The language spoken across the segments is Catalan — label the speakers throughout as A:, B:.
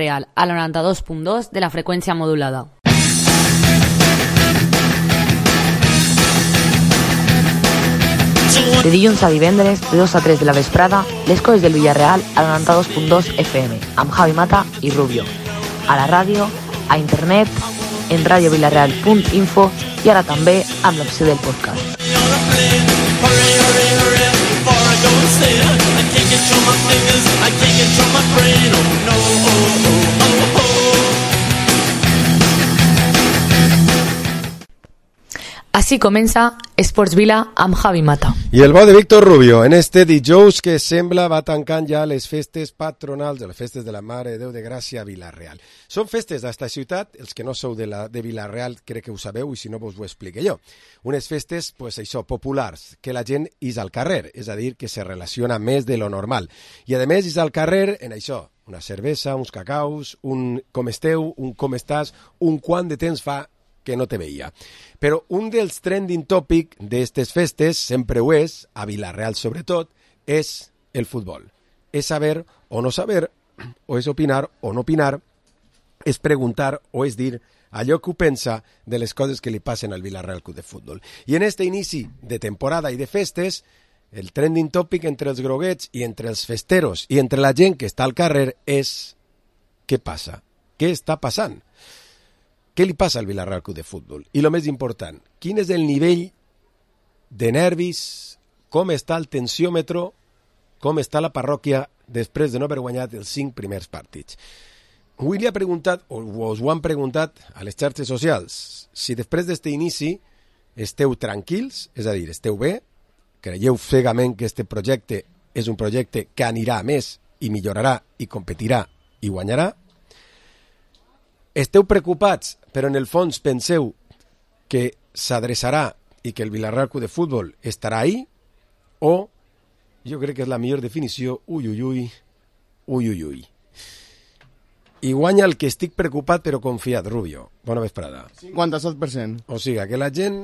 A: Real, a la 92.2 de la freqüència modulada. De dilluns a divendres, de 2 a 3 de la vesprada, les coses del Villarreal a la 92.2 FM, amb Javi Mata i Rubio. A la ràdio, a internet, en radiovillarreal.info i ara també amb l'opció del podcast. Així comença Esports Vila amb Javi Mata.
B: I el bo de Víctor Rubio, en este dijous que sembla va tancant ja les festes patronals, les festes de la Mare de Déu de Gràcia a Vila-real. Són festes d'esta ciutat, els que no sou de Vila-real crec que ho sabeu i si no vos ho explique jo. Unes festes, pues això, populars, que la gent és al carrer, és a dir, que se relaciona més de lo normal. I a més és al carrer en això, una cervesa, uns cacaus, un com esteu, un com estàs, un quant de temps fa que no te veia. Però un dels trending topic d'aquestes festes, sempre ho és, a Vila-real sobretot, és el futbol. És saber o no saber, o és opinar o no opinar, és preguntar o és dir allò que ho pensa de les coses que li passen al Vila-real Club de Futbol. I en este inici de temporada i de festes, el trending topic entre els groguets i entre els festeros i entre la gent que està al carrer és què passa? Què està passant? Què li passa al Vila-real Club de Futbol? I el més important, quin és el nivell de nervis, com està el tensiòmetre, com està la parròquia després de no haver guanyat els 5 primers partits. Avui li ha preguntat, o us ho han preguntat a les xarxes socials, si després d'aquest inici esteu tranquils, és a dir, esteu bé, creieu cegament que aquest projecte és un projecte que anirà a més i millorarà i competirà i guanyarà. Esteu preocupats, però en el fons penseu que s'adreçarà i que el Vila-real Club de Futbol estarà ahí, o, jo crec que és la millor definició, ui. I guanya el que estic preocupat però confiat, Rubio. Bona vesprada.
C: 57%.
B: O sigui, que la gent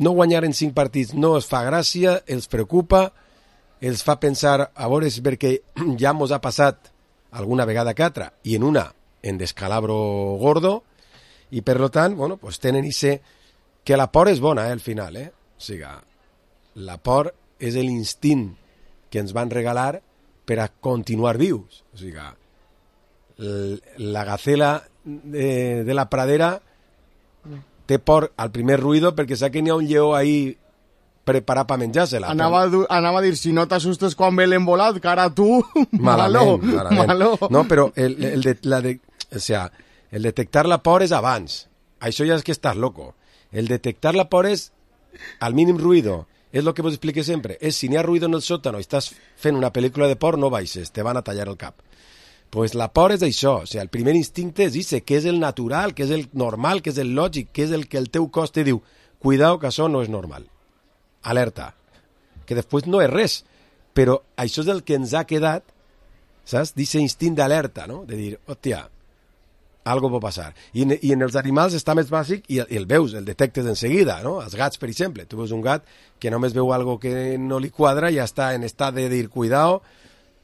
B: no guanyar en 5 partits no es fa gràcia, els preocupa, els fa pensar, a veure, és perquè ja mos ha passat alguna vegada que altra, i en una en descalabro gordo, i per lo tant, bueno, pues tenen ese que la por és bona, al final, O sigui, la por és l'instint que ens van regalar per a continuar vius. O sigui, la gacela de la pradera té por al primer ruido perquè sap que n'hi ha un lleó ahí preparar per menjar-se-la.
C: Anava a dir, si no t'assustes quan ve l'embolat, cara tu, malo.
B: No, però el detectar la por és abans. Això ja és que estàs loco. El detectar la por és al mínim ruido. És el que vos explique sempre. És si n'hi ha ruido en el sòtano i estàs fent una pel·lícula de por, no baixes, te van a tallar el cap. Pues la por és això. O sigui, el primer instinte és això, que és el natural, que és el normal, que és el lògic, que és el que el teu cos te diu. Cuidao, que això no és normal. Alerta, que després no és res, però això és el que ens ha quedat, saps? D'aquest instint d'alerta, no? De dir, hòstia, algo pot passar. I en els animals està més bàsic i el veus, el detectes enseguida, no? Els gats, per exemple, tu veus un gat que només veu algo que no li quadra i ja està en estat de dir, cuidao,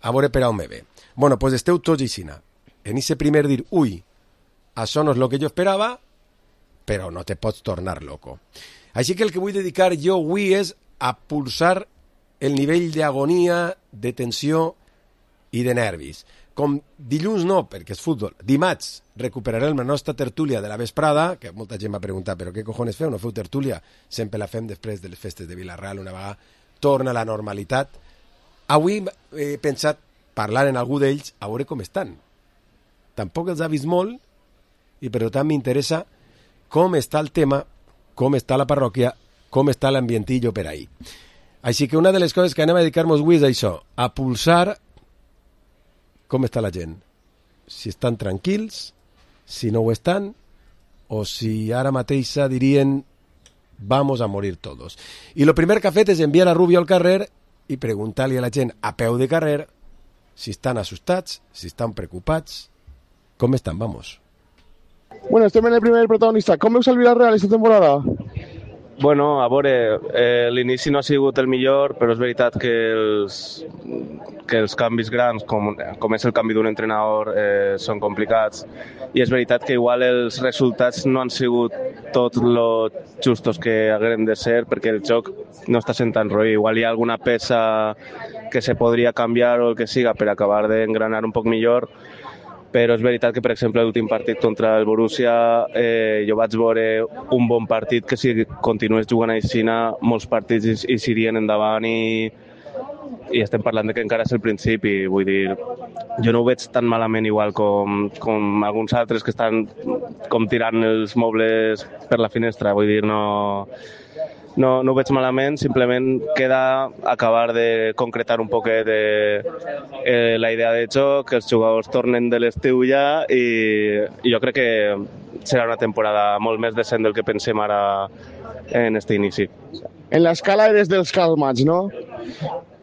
B: a veure per on me ve. Bueno, pues esteu tots aixina. En aquest primer dir, ui, això no és el que jo esperava, però no te pots tornar loco. Així que el que vull dedicar jo avui és a pulsar el nivell d'agonia, de tensió i de nervis. Com dilluns no, perquè és futbol, dimarts recuperarem la nostra tertúlia de la vesprada, que molta gent m'ha preguntat, però què cojones feu? No feu tertúlia? Sempre la fem després de les festes de Vila-real, una vegada torna a la normalitat. Avui he pensat parlar en algú d'ells, a veure com estan. Tampoc els ha vist molt, i per tant m'interessa com està el tema, com està la parròquia, com està l'ambientillo per ahí. Així que una de les coses que anem a dedicar-nos avui és això, a pulsar com està la gent. Si estan tranquils, si no ho estan, o si ara mateixa dirien vamos a morir todos. I lo primer que ha fet és enviar a Rubio al carrer i preguntar-li a la gent a peu de carrer si estan assustats, si estan preocupats, com estan, vamos.
C: Bueno, estem en el primer protagonista. Com veus el Villarreal esta temporada?
D: Bueno, a veure, l'inici no ha sigut el millor, però és veritat que els canvis grans, com és el canvi d'un entrenador, són complicats. I és veritat que igual els resultats no han sigut tot lo justos que haguem de ser, perquè el joc no està sent tan roí. Igual hi ha alguna peça que se podria canviar o el que siga per acabar d'engranar un poc millor, però és veritat que, per exemple, l'últim partit contra el Borussia jo vaig veure un bon partit que si continués jugant així molts partits i s'irien endavant i estem parlant de que encara és el principi, vull dir, jo no ho veig tan malament igual com alguns altres que estan com tirant els mobles per la finestra, vull dir, no ho veig malament, simplement queda acabar de concretar un poquet la idea de joc, que els jugadors tornen de l'estiu ja i jo crec que serà una temporada molt més decent del que pensem ara en este inici.
C: En la escala eres dels calmats, ¿no?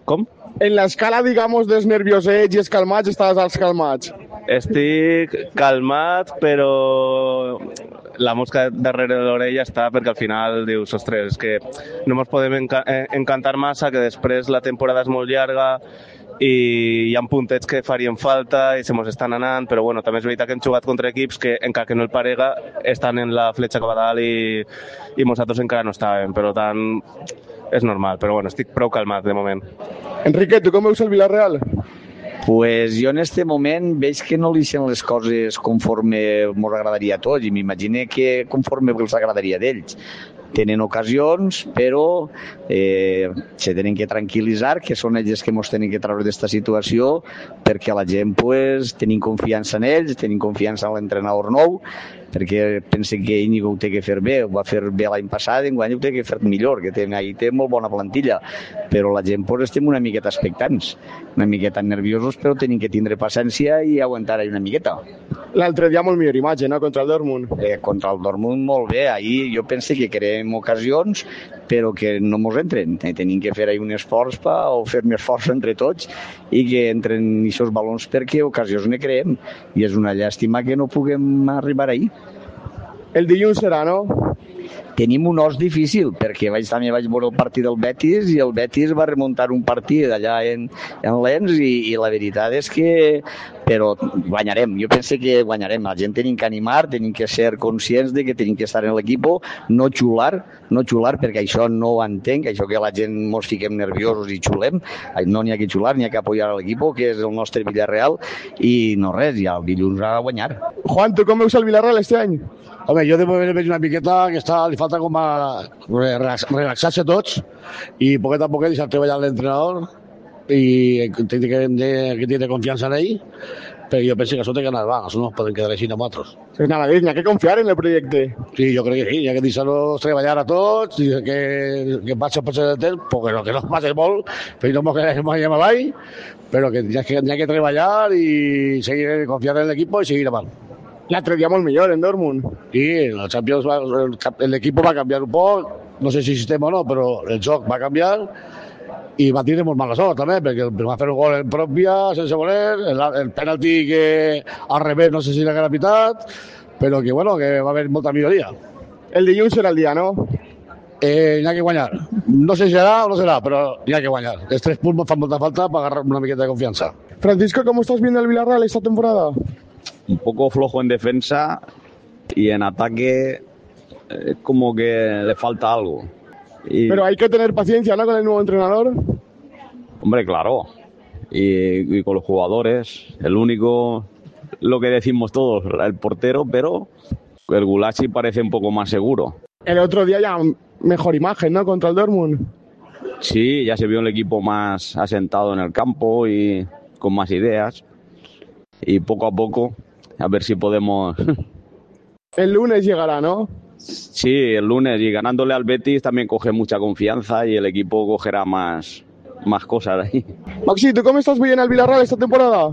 D: Com?
C: En la escala, digamos, dels nerviosets i els calmats, estàs als calmats.
D: Estic calmat, però la mosca darrere de l'orella està perquè al final dius, ostres, és que no ens podem encantar massa, que després la temporada és molt llarga i hi ha puntets que farien falta i se mos estan anant, però bueno, també és veritat que hem jugat contra equips que, encara que no el parega, estan en la fletxa cap a dalt i nosaltres encara no estàvem, per tant és normal, però bueno, estic prou calmat de moment.
C: Enrique, tu com veus el Villarreal?
E: Pues jo en este moment veig que no li sent les coses conforme ens agradaria a tots i m'imagino que conforme els agradaria d'ells. Tenen ocasions, però se tenen que tranquil·litzar, que són ells que ens tenen que treure d'aquesta situació, perquè la gent pues, tenim confiança en ells, tenim confiança en l'entrenador nou, perquè pensen que Íñigo ho té que fer bé, ho va fer bé l'any passat, enguany ho té que fer millor, que té molt bona plantilla, però la gent pues, estem una miqueta expectants, una miqueta nerviosos, però tenim que tindre paciència i aguantar una miqueta.
C: L'altre dia molt millor imatge, no?, contra el Dortmund.
E: Contra el Dortmund molt bé, ahir jo penso que creem ocasions, però que no mos entren. Tenim que fer un esforç o fer un esforç entre tots i que entren aquests balons perquè ocasions ne creem. I és una llàstima que no puguem arribar ahir.
C: El dilluns serà, no?
E: Tenim un os difícil, perquè també vaig veure el partit del Betis i el Betis va remuntar un partit allà en Lens i la veritat és que però guanyarem, jo penso que guanyarem, la gent tenim que animar, tenim que ser conscients de que tenim que estar en l'equip, no xular perquè això no ho entenc, això que la gent ens fiquem nerviosos i xulem, no n'hi ha que xular, n'hi ha que apoyar l'equip, que és el nostre Villarreal, i no res, ja el dilluns ha de guanyar.
C: Juan, tu com veus el Villarreal este any?
F: Home, jo de moment veig una miqueta que li falta com a relaxar-se tots i poquet a poquet deixar treballar l'entrenador i que tiene confiança en ell, però jo penso que això té que anar va, això no es poden quedar així amb altres.
C: Nada, n'hi ha que confiar en el projecte.
F: Sí, jo crec que sí, n'hi ha que deixar-los treballar a tots, que passa el temps, que no passa molt, però no ens quedem avall, però que n'hi ha que treballar i seguir confiant en l'equip i seguir avant.
C: L'altre dia molt millor en Dortmund.
F: Sí, el Champions l'equip va canviar un poc, no sé si sistema o no, però el joc va canviar i va tindre molt mala sort també, perquè va fer un gol en pròpia, sense voler, el penalti que al revés no sé si l'haguera pitat, però que bueno, que va haver molta milloria.
C: El dilluns serà el dia, no?
F: N'hi ha que guanyar. No sé si serà o no serà, però n'hi ha que guanyar. Els 3 punts fan molta falta per agarrar una miqueta de confiança.
C: Francisco, ¿cómo estás viendo el Villarreal esta temporada?
G: Un poco flojo en defensa y en ataque como que le falta algo.
C: Pero hay que tener paciencia, ¿no?, con el nuevo entrenador.
G: Hombre, claro. Y con los jugadores. El único, lo que decimos todos, el portero, pero el Gulacsi parece un poco más seguro.
C: El otro día ya mejor imagen, ¿no?, contra el Dortmund.
G: Sí, ya se vio el equipo más asentado en el campo y con más ideas. Y poco a poco, a ver si podemos...
C: El lunes llegará, ¿no?
G: Sí, el lunes, y ganándole al Betis también coge mucha confianza y el equipo cogerá más cosas ahí.
C: Maxi, ¿tú cómo estás veient el Villarreal esta temporada?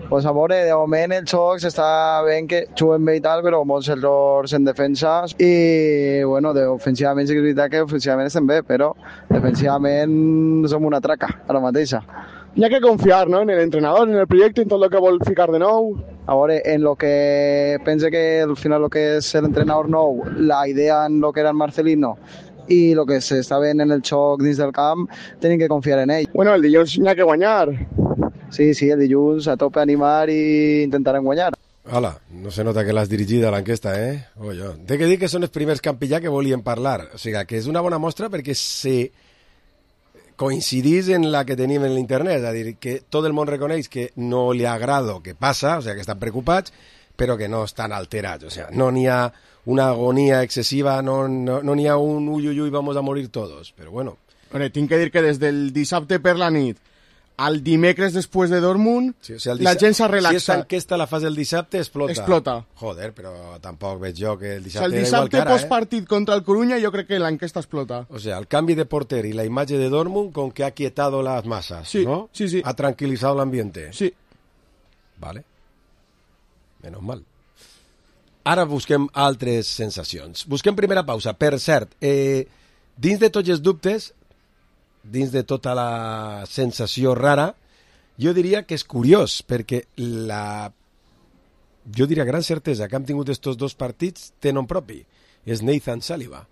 H: Pues a veure, de moment el xoc s'està veient que juguen bé i tal, però molts errors en defensa i, bueno, ofensivament sí que és veritat que ofensivament estem bé, però defensivament som una traca ara mateixa.
C: Hi ha que confiar, ¿no?, en el entrenador, en el proyecto, en tot el que vol ficar de nou.
H: A veure, en lo que pense que al final lo que és l'entrenador nou, la idea en lo que era el Marcelino i el que s'està veient en el xoc dins del camp tenim que confiar en ell.
C: Bueno, el dilluns n'hi ha que guanyar.
H: Sí, el dilluns a tope animar i intentarem guanyar.
B: Hola, no se nota que l'has dirigida a l'enquesta, eh? Té que dir que són els primers campillà que volien parlar. O sigui, que és una bona mostra perquè se coincidís en la que tenim en l'internet, és a dir, que tot el món reconeix que no li agrada el que passa, o sigui, que estan preocupats, però que no estan alterats, o sigui, no n'hi ha una agonia excessiva, no n'hi ha un uy, vamos a morir todos, però bueno.
C: Tinc que dir que des del dissabte per la nit al dimecres després de Dortmund, sí, o sigui, la gent s'ha relaxat.
B: Si aquesta enquesta la fas el dissabte, explota. Joder, però tampoc veig jo que el dissabte,
C: o sigui, el dissabte postpartit contra el Coruña jo crec que l'enquesta explota.
B: O sea, el canvi de porter y la imagen de Dortmund con que ha quietado las masas,
C: sí,
B: ¿no?
C: Sí.
B: Ha tranquilizado el ambiente.
C: Sí.
B: Vale. Menos mal. Ara busquem altres sensacions. Busquem primera pausa. Per cert, dins de tots els dubtes, dins de tota la sensació rara, jo diria que és curiós, perquè jo diria gran certesa que hem tingut estos dos partits té nom propi, és Nathan Saliba.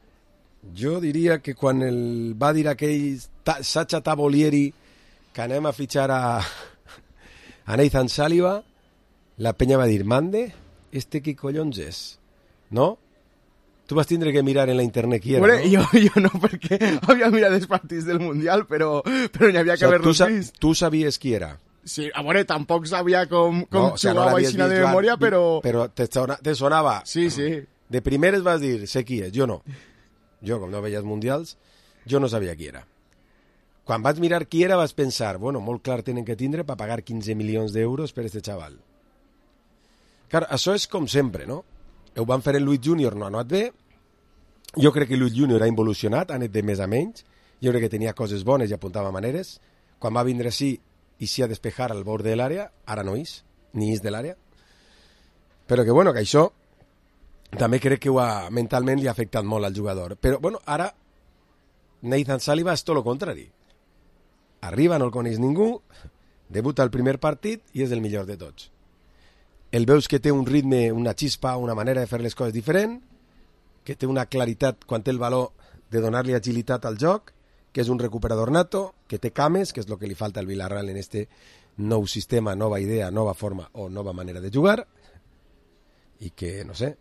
B: Jo diria que quan va dir aquell Sacha Tavolieri que anem a fitxar a Nathan Saliba, la penya va dir, mande, qui collons és? No? Tu vas tindre que mirar en la internet qui era,
C: bueno,
B: no?
C: Jo no, perquè havia mirat els partits del Mundial, però n'hi havia que haver-los vist.
B: Tu sabies qui era?
C: Sí, a veure, tampoc sabia com jugava aixina de memòria, però...
B: Però te sonava...
C: Sí.
B: De primeres vas dir, sé qui és, jo no. Jo, com no veies mundials, jo no sabia qui era. Quan vaig mirar qui era, vas pensar, bueno, molt clar tenen que tindre per pagar 15 milions d'euros per este xaval. Clar, això és com sempre, no? Ho van fer en Luis Júnior, no ha anat bé. Jo crec que Luis Júnior ha involucionat, ha anat de més a menys. Jo crec que tenia coses bones i apuntava maneres. Quan va vindre així i s'hi ha despejar al bord de l'àrea, ara no és, ni és de l'àrea. Però que, bueno, que això també crec que mentalment li ha afectat molt al jugador. Però, bueno, ara Nathan Saliba és tot el contrari. Arriba, no el coneix ningú, debuta el primer partit i és el millor de tots. El veus que té un ritme, una xispa, una manera de fer les coses diferent, que té una claritat quan té el valor de donar-li agilitat al joc, que és un recuperador nato, que té cames, que és el que li falta al Villarreal en este nou sistema, nova idea, nova forma o nova manera de jugar, i que, no sé,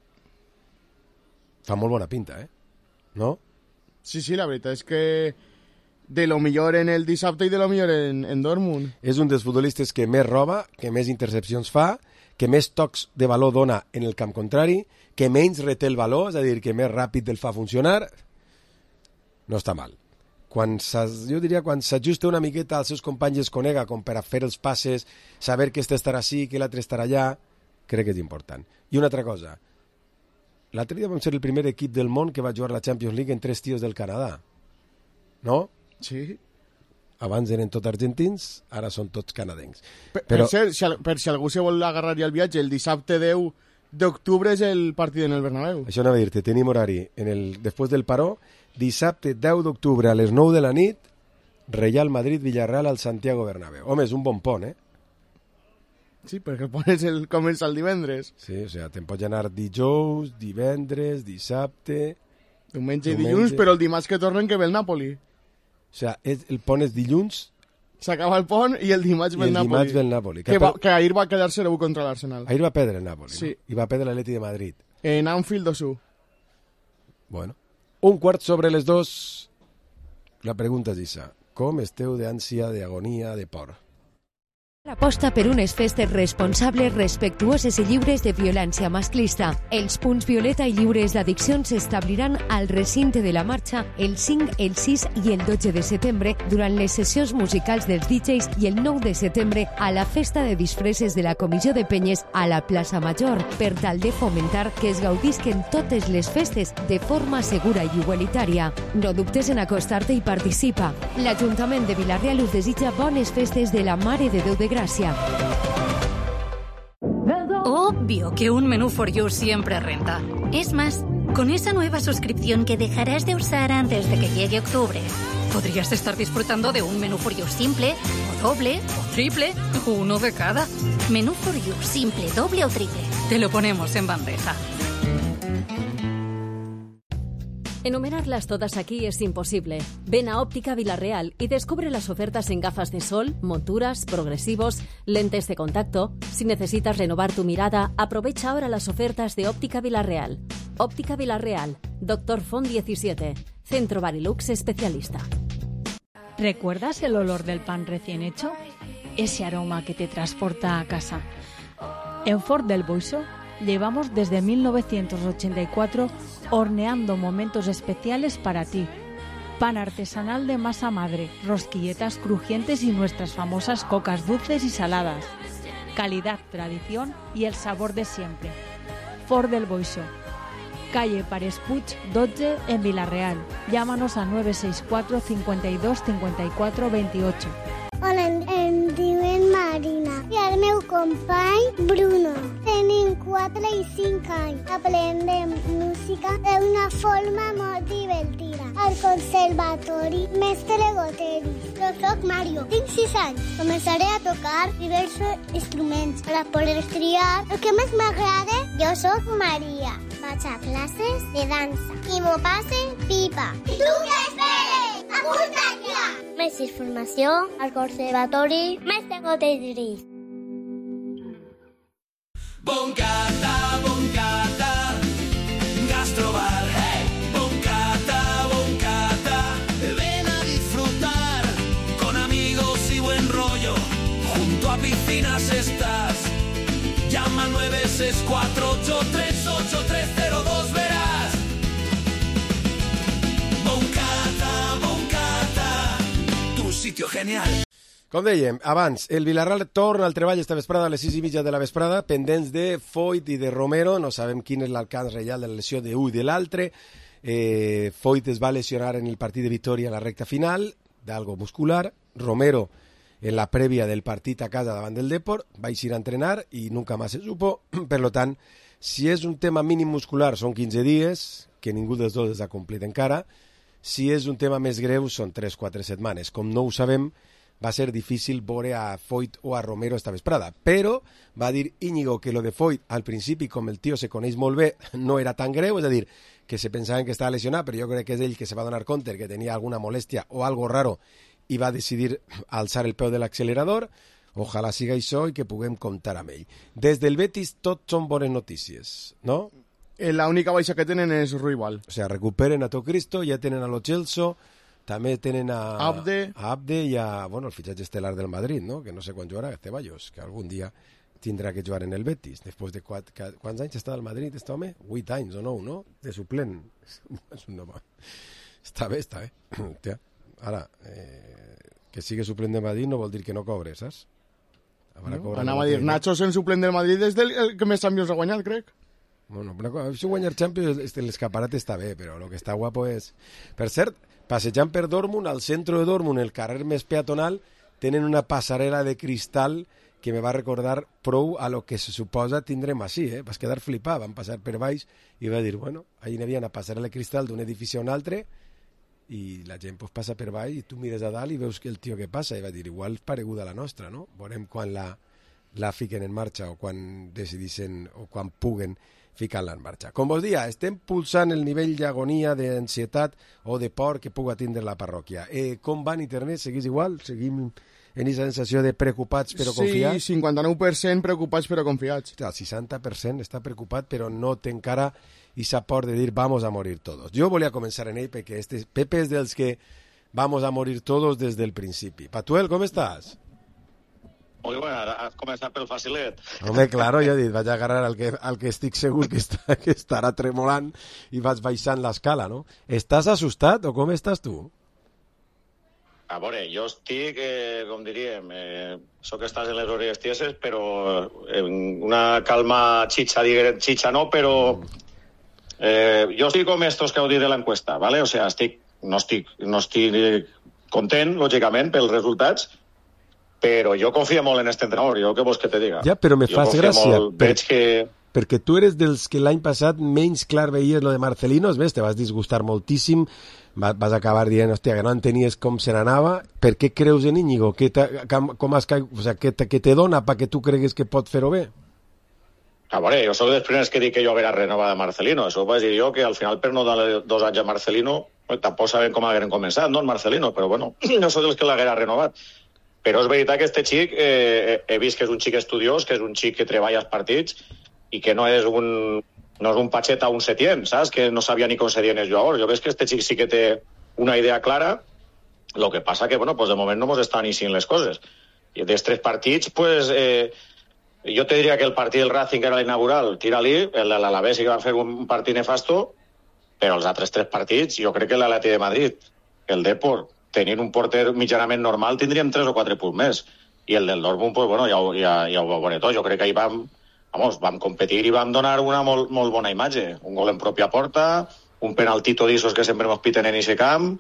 B: fa molt bona pinta, no?
C: Sí, la veritat és que de lo millor en el dissabte i de lo millor en Dortmund.
B: És un dels futbolistes que més roba, que més intercepcions fa, que més tocs de valor dona en el camp contrari, que menys reté el valor, és a dir, que més ràpid el fa funcionar, no està mal. Jo diria quan s'ajusta una miqueta als seus companys es conega, com per a fer els passes, saber que este estarà així, que l'altre estarà allà, crec que és important. I una altra cosa, l'altre dia vam ser el primer equip del món que va jugar la Champions League en 3 tios del Canadà, no?
C: Sí.
B: Abans eren tots argentins, ara són tots canadencs.
C: Per si algú se vol agarrar ja el viatge, el dissabte 10 d'octubre és el partit en el Bernabéu.
B: Això anava a dir-te, tenim horari després del paró, dissabte 10 d'octubre a les 9 de la nit, Real Madrid-Villarreal al Santiago Bernabéu. Home, és un bon pont,
C: Sí, perquè el pont comença el divendres.
B: Sí, o sigui, te'n pots anar dijous, divendres, dissabte...
C: Diumenge i dilluns, però el dimarts que tornen que ve el Napoli.
B: O sigui, el pont és dilluns...
C: S'acaba el pont i el dimarts ve el Napoli.
B: I el dimarts ve el Napoli.
C: Que ahir va quedar 0-1 contra l'Arsenal.
B: Ahir va perdre el Napoli,
C: sí.
B: No? I va perdre l'Atleti de Madrid.
C: En Anfield 2-1.
B: Bueno. 2:15. La pregunta és issa. Com esteu d'ànsia, d'agonia, de por?
I: Aposta per unes festes responsables, respectuoses i lliures de violència masclista. Els punts violeta i lliures d'addiccions s'establiran al recinte de la marxa el 5, el 6 i el 12 de setembre durant les sessions musicals dels DJs i el 9 de setembre a la festa de disfresses de la Comissió de Penyes a la plaça Major, per tal de fomentar que es gaudisquen totes les festes de forma segura i igualitària. No dubtes en acostar-te i participa. L'Ajuntament de Vila-real us desitja bones festes de la Mare de Déu de Gracia.
J: Obvio que un menú for you siempre renta. Es más, con esa nueva suscripción que dejarás de usar antes de que llegue octubre, podrías estar disfrutando de un menú for you simple, o doble, o triple, o uno de cada. Menú for you simple, doble o triple. Te lo ponemos en bandeja.
K: Enumerarlas todas aquí es imposible. Ven a Óptica Vilarreal y descubre las ofertas en gafas de sol, monturas, progresivos, lentes de contacto. Si necesitas renovar tu mirada, aprovecha ahora las ofertas de Óptica Vilarreal. Óptica Vilarreal, Dr. Font 17, Centro Barilux especialista.
L: ¿Recuerdas el olor del pan recién hecho? Ese aroma que te transporta a casa. En Fort del Boixó llevamos desde 1984 horneando momentos especiales para ti. Pan artesanal de masa madre, rosquilletas crujientes y nuestras famosas cocas dulces y saladas. Calidad, tradición y el sabor de siempre. Fort del Boixó, calle Pares Puig 12 en Vilarreal. Llámanos a 964 52 54 28.
M: Hola, em diuen Marina i el meu company Bruno. Tenim 4 i 5 anys. Aprendem música d'una forma molt divertida. Al Conservatori Mestre Goteris. Jo soc Mario, tinc 6 anys. Començaré a tocar diversos instruments per a poder triar el que més m'agrada. Jo soc Maria. Vaig a classes de dansa i m'ho passe pipa. I tu què esperes? Apunta't ja! Més informació al Conservatori Mestre Goteris.
N: Boncata, gastrobar, hey. Boncata, ven a disfrutar con amigos y buen rollo. Junto a piscinas estás. Llama al 964838302, verás. Boncata, tu sitio genial.
B: Com dèiem, abans, el Vilarreal torna al treball esta vesprada a les 6:30 de la vesprada, pendents de Foyt i de Romero. No sabem quin és l'alcance real de la lesió d'un i de l'altre. Foyt es va lesionar en el partit de Vitòria a la recta final, d'algo muscular. Romero, en la prèvia del partit a casa davant del Depor, va eixir a entrenar i nunca más se supo. Per lo tant, si és un tema mínim muscular, són 15 dies, que ningú dels dos els ha complit encara. Si és un tema més greu, són 3-4 setmanes. Com no ho sabem, va ser difícil veure a Foyt o a Romero esta vesprada, però va dir Íñigo que lo de Foyt al principi, com el tio se coneix molt bé, no era tan greu, és a dir, que se pensaven que estava lesionat, però jo crec que és ell que se va donar compte que tenia alguna molèstia o algo raro i va decidir alçar el peu de l'accelerador. Ojalà siga això i que puguem comptar amb ell. Des del Betis tot són bones notícies, no?
C: La única baixa que tenen és Ruibal.
B: O sea, recuperen a tot Cristo, ja tenen a Lo Celso, també tenen a
C: Abde
B: i a, bueno, el fitxatge estel·lar del Madrid, no? Que no sé quan jugarà, Ceballos, que algun dia tindrà que jugar en el Betis. Després de quants anys està al Madrid, este home? 8 anys o 9, no? De suplent. És un home. Està bé. Hòstia. Ara, que sigui suplent de Madrid no vol dir que no cobre, saps?
C: Anava a dir, Nacho sent suplent del Madrid és el que més Champions ha guanyat, crec.
B: Bueno, si guanyar Champions, l'escaparat està bé, però el que està guapo és... Per cert, passejant per Dortmund, al centre de Dortmund, el carrer més peatonal, tenen una passarel·la de cristal que me va recordar prou a lo que se suposa tindrem així, Vas quedar flipat, van passar per baix i va dir, bueno, ahí n'hi havia una passarel·la de cristal d'un edifici a un altre i la gent pues, passa per baix i tu mires a dalt i veus que el tio que passa i va dir, igual pareguda a la nostra, no? Veurem quan la fiquen en marxa o quan decidissin o quan puguen ficar-la en marxa. Com vos dia, estem pulsant el nivell d'agonia, d'ansietat o de por que puga tindre la parròquia. Com va en internet? Seguís igual? Seguim en aquesta sensació de preocupats però confiats?
C: Sí, 59% preocupats però confiats.
B: El 60% està preocupat però no té encara esa por de dir vamos a morir todos. Jo volia començar en ell perquè Pepe és dels que vamos a morir todos des del principi. Patuel, com estàs?
O: Molt bé, has començat pel facilet.
B: Home, claro, jo he dit, vaig agarrar el que estic segur que estarà tremolant i vaig baixant l'escala, no? Estàs assustat o com estàs tu?
O: A veure, jo estic, com diríem, sóc que estàs en les orelles tieses, però una calma xitxa no, però jo estic com estos que heu dit de l'enquesta, ¿vale? O sea, no estic content, lògicament, pels resultats, però jo confio molt en este entrenador, jo què vols que te diga?
B: Ja, però me fas gràcia,
O: que...
B: perquè tu eres dels que l'any passat menys clar veies lo de Marcelino, ves, te vas disgustar moltíssim, vas acabar dient, hòstia, que no entenies com se n'anava. Per què creus en Íñigo? O sea, què te dona perquè tu cregues que pot fer-ho bé?
O: A veure, jo soc dels primers que dic que jo haguera renovat a Marcelino. Això ho vaig dir jo, que al final per no dar 2 anys a Marcelino, tampoc sabem com hagueren començat, no, el Marcelino, però bueno, no soc dels que l'haguera renovat. Però és veritat que este xic, he vist que és un xic estudiós, que és un xic que treballa als partits i que no és un patxet a un Setién, saps? Que no sabia ni com Setién és jugador. Jo veig que este xic sí que té una idea clara, lo que passa que, bueno, pues de moment no mos estan iniciant les coses. I dels 3 partits, pues... jo te diria que el partit del Racing, que era l'inaugural, tira-li, el de l'Alavés sí que va fer un partit nefasto, però els altres 3 partits, jo crec que l'Atleti de Madrid, el Depor, tenint un porter mitjanament normal, tindríem 3 o 4 punts més. I el del Dortmund, pues bueno, ja ho veuré tot. Jo crec que ahir vam competir i vam donar una molt bona imatge. Un gol en pròpia porta, un penaltito d'issos que sempre mos piten en aquest camp,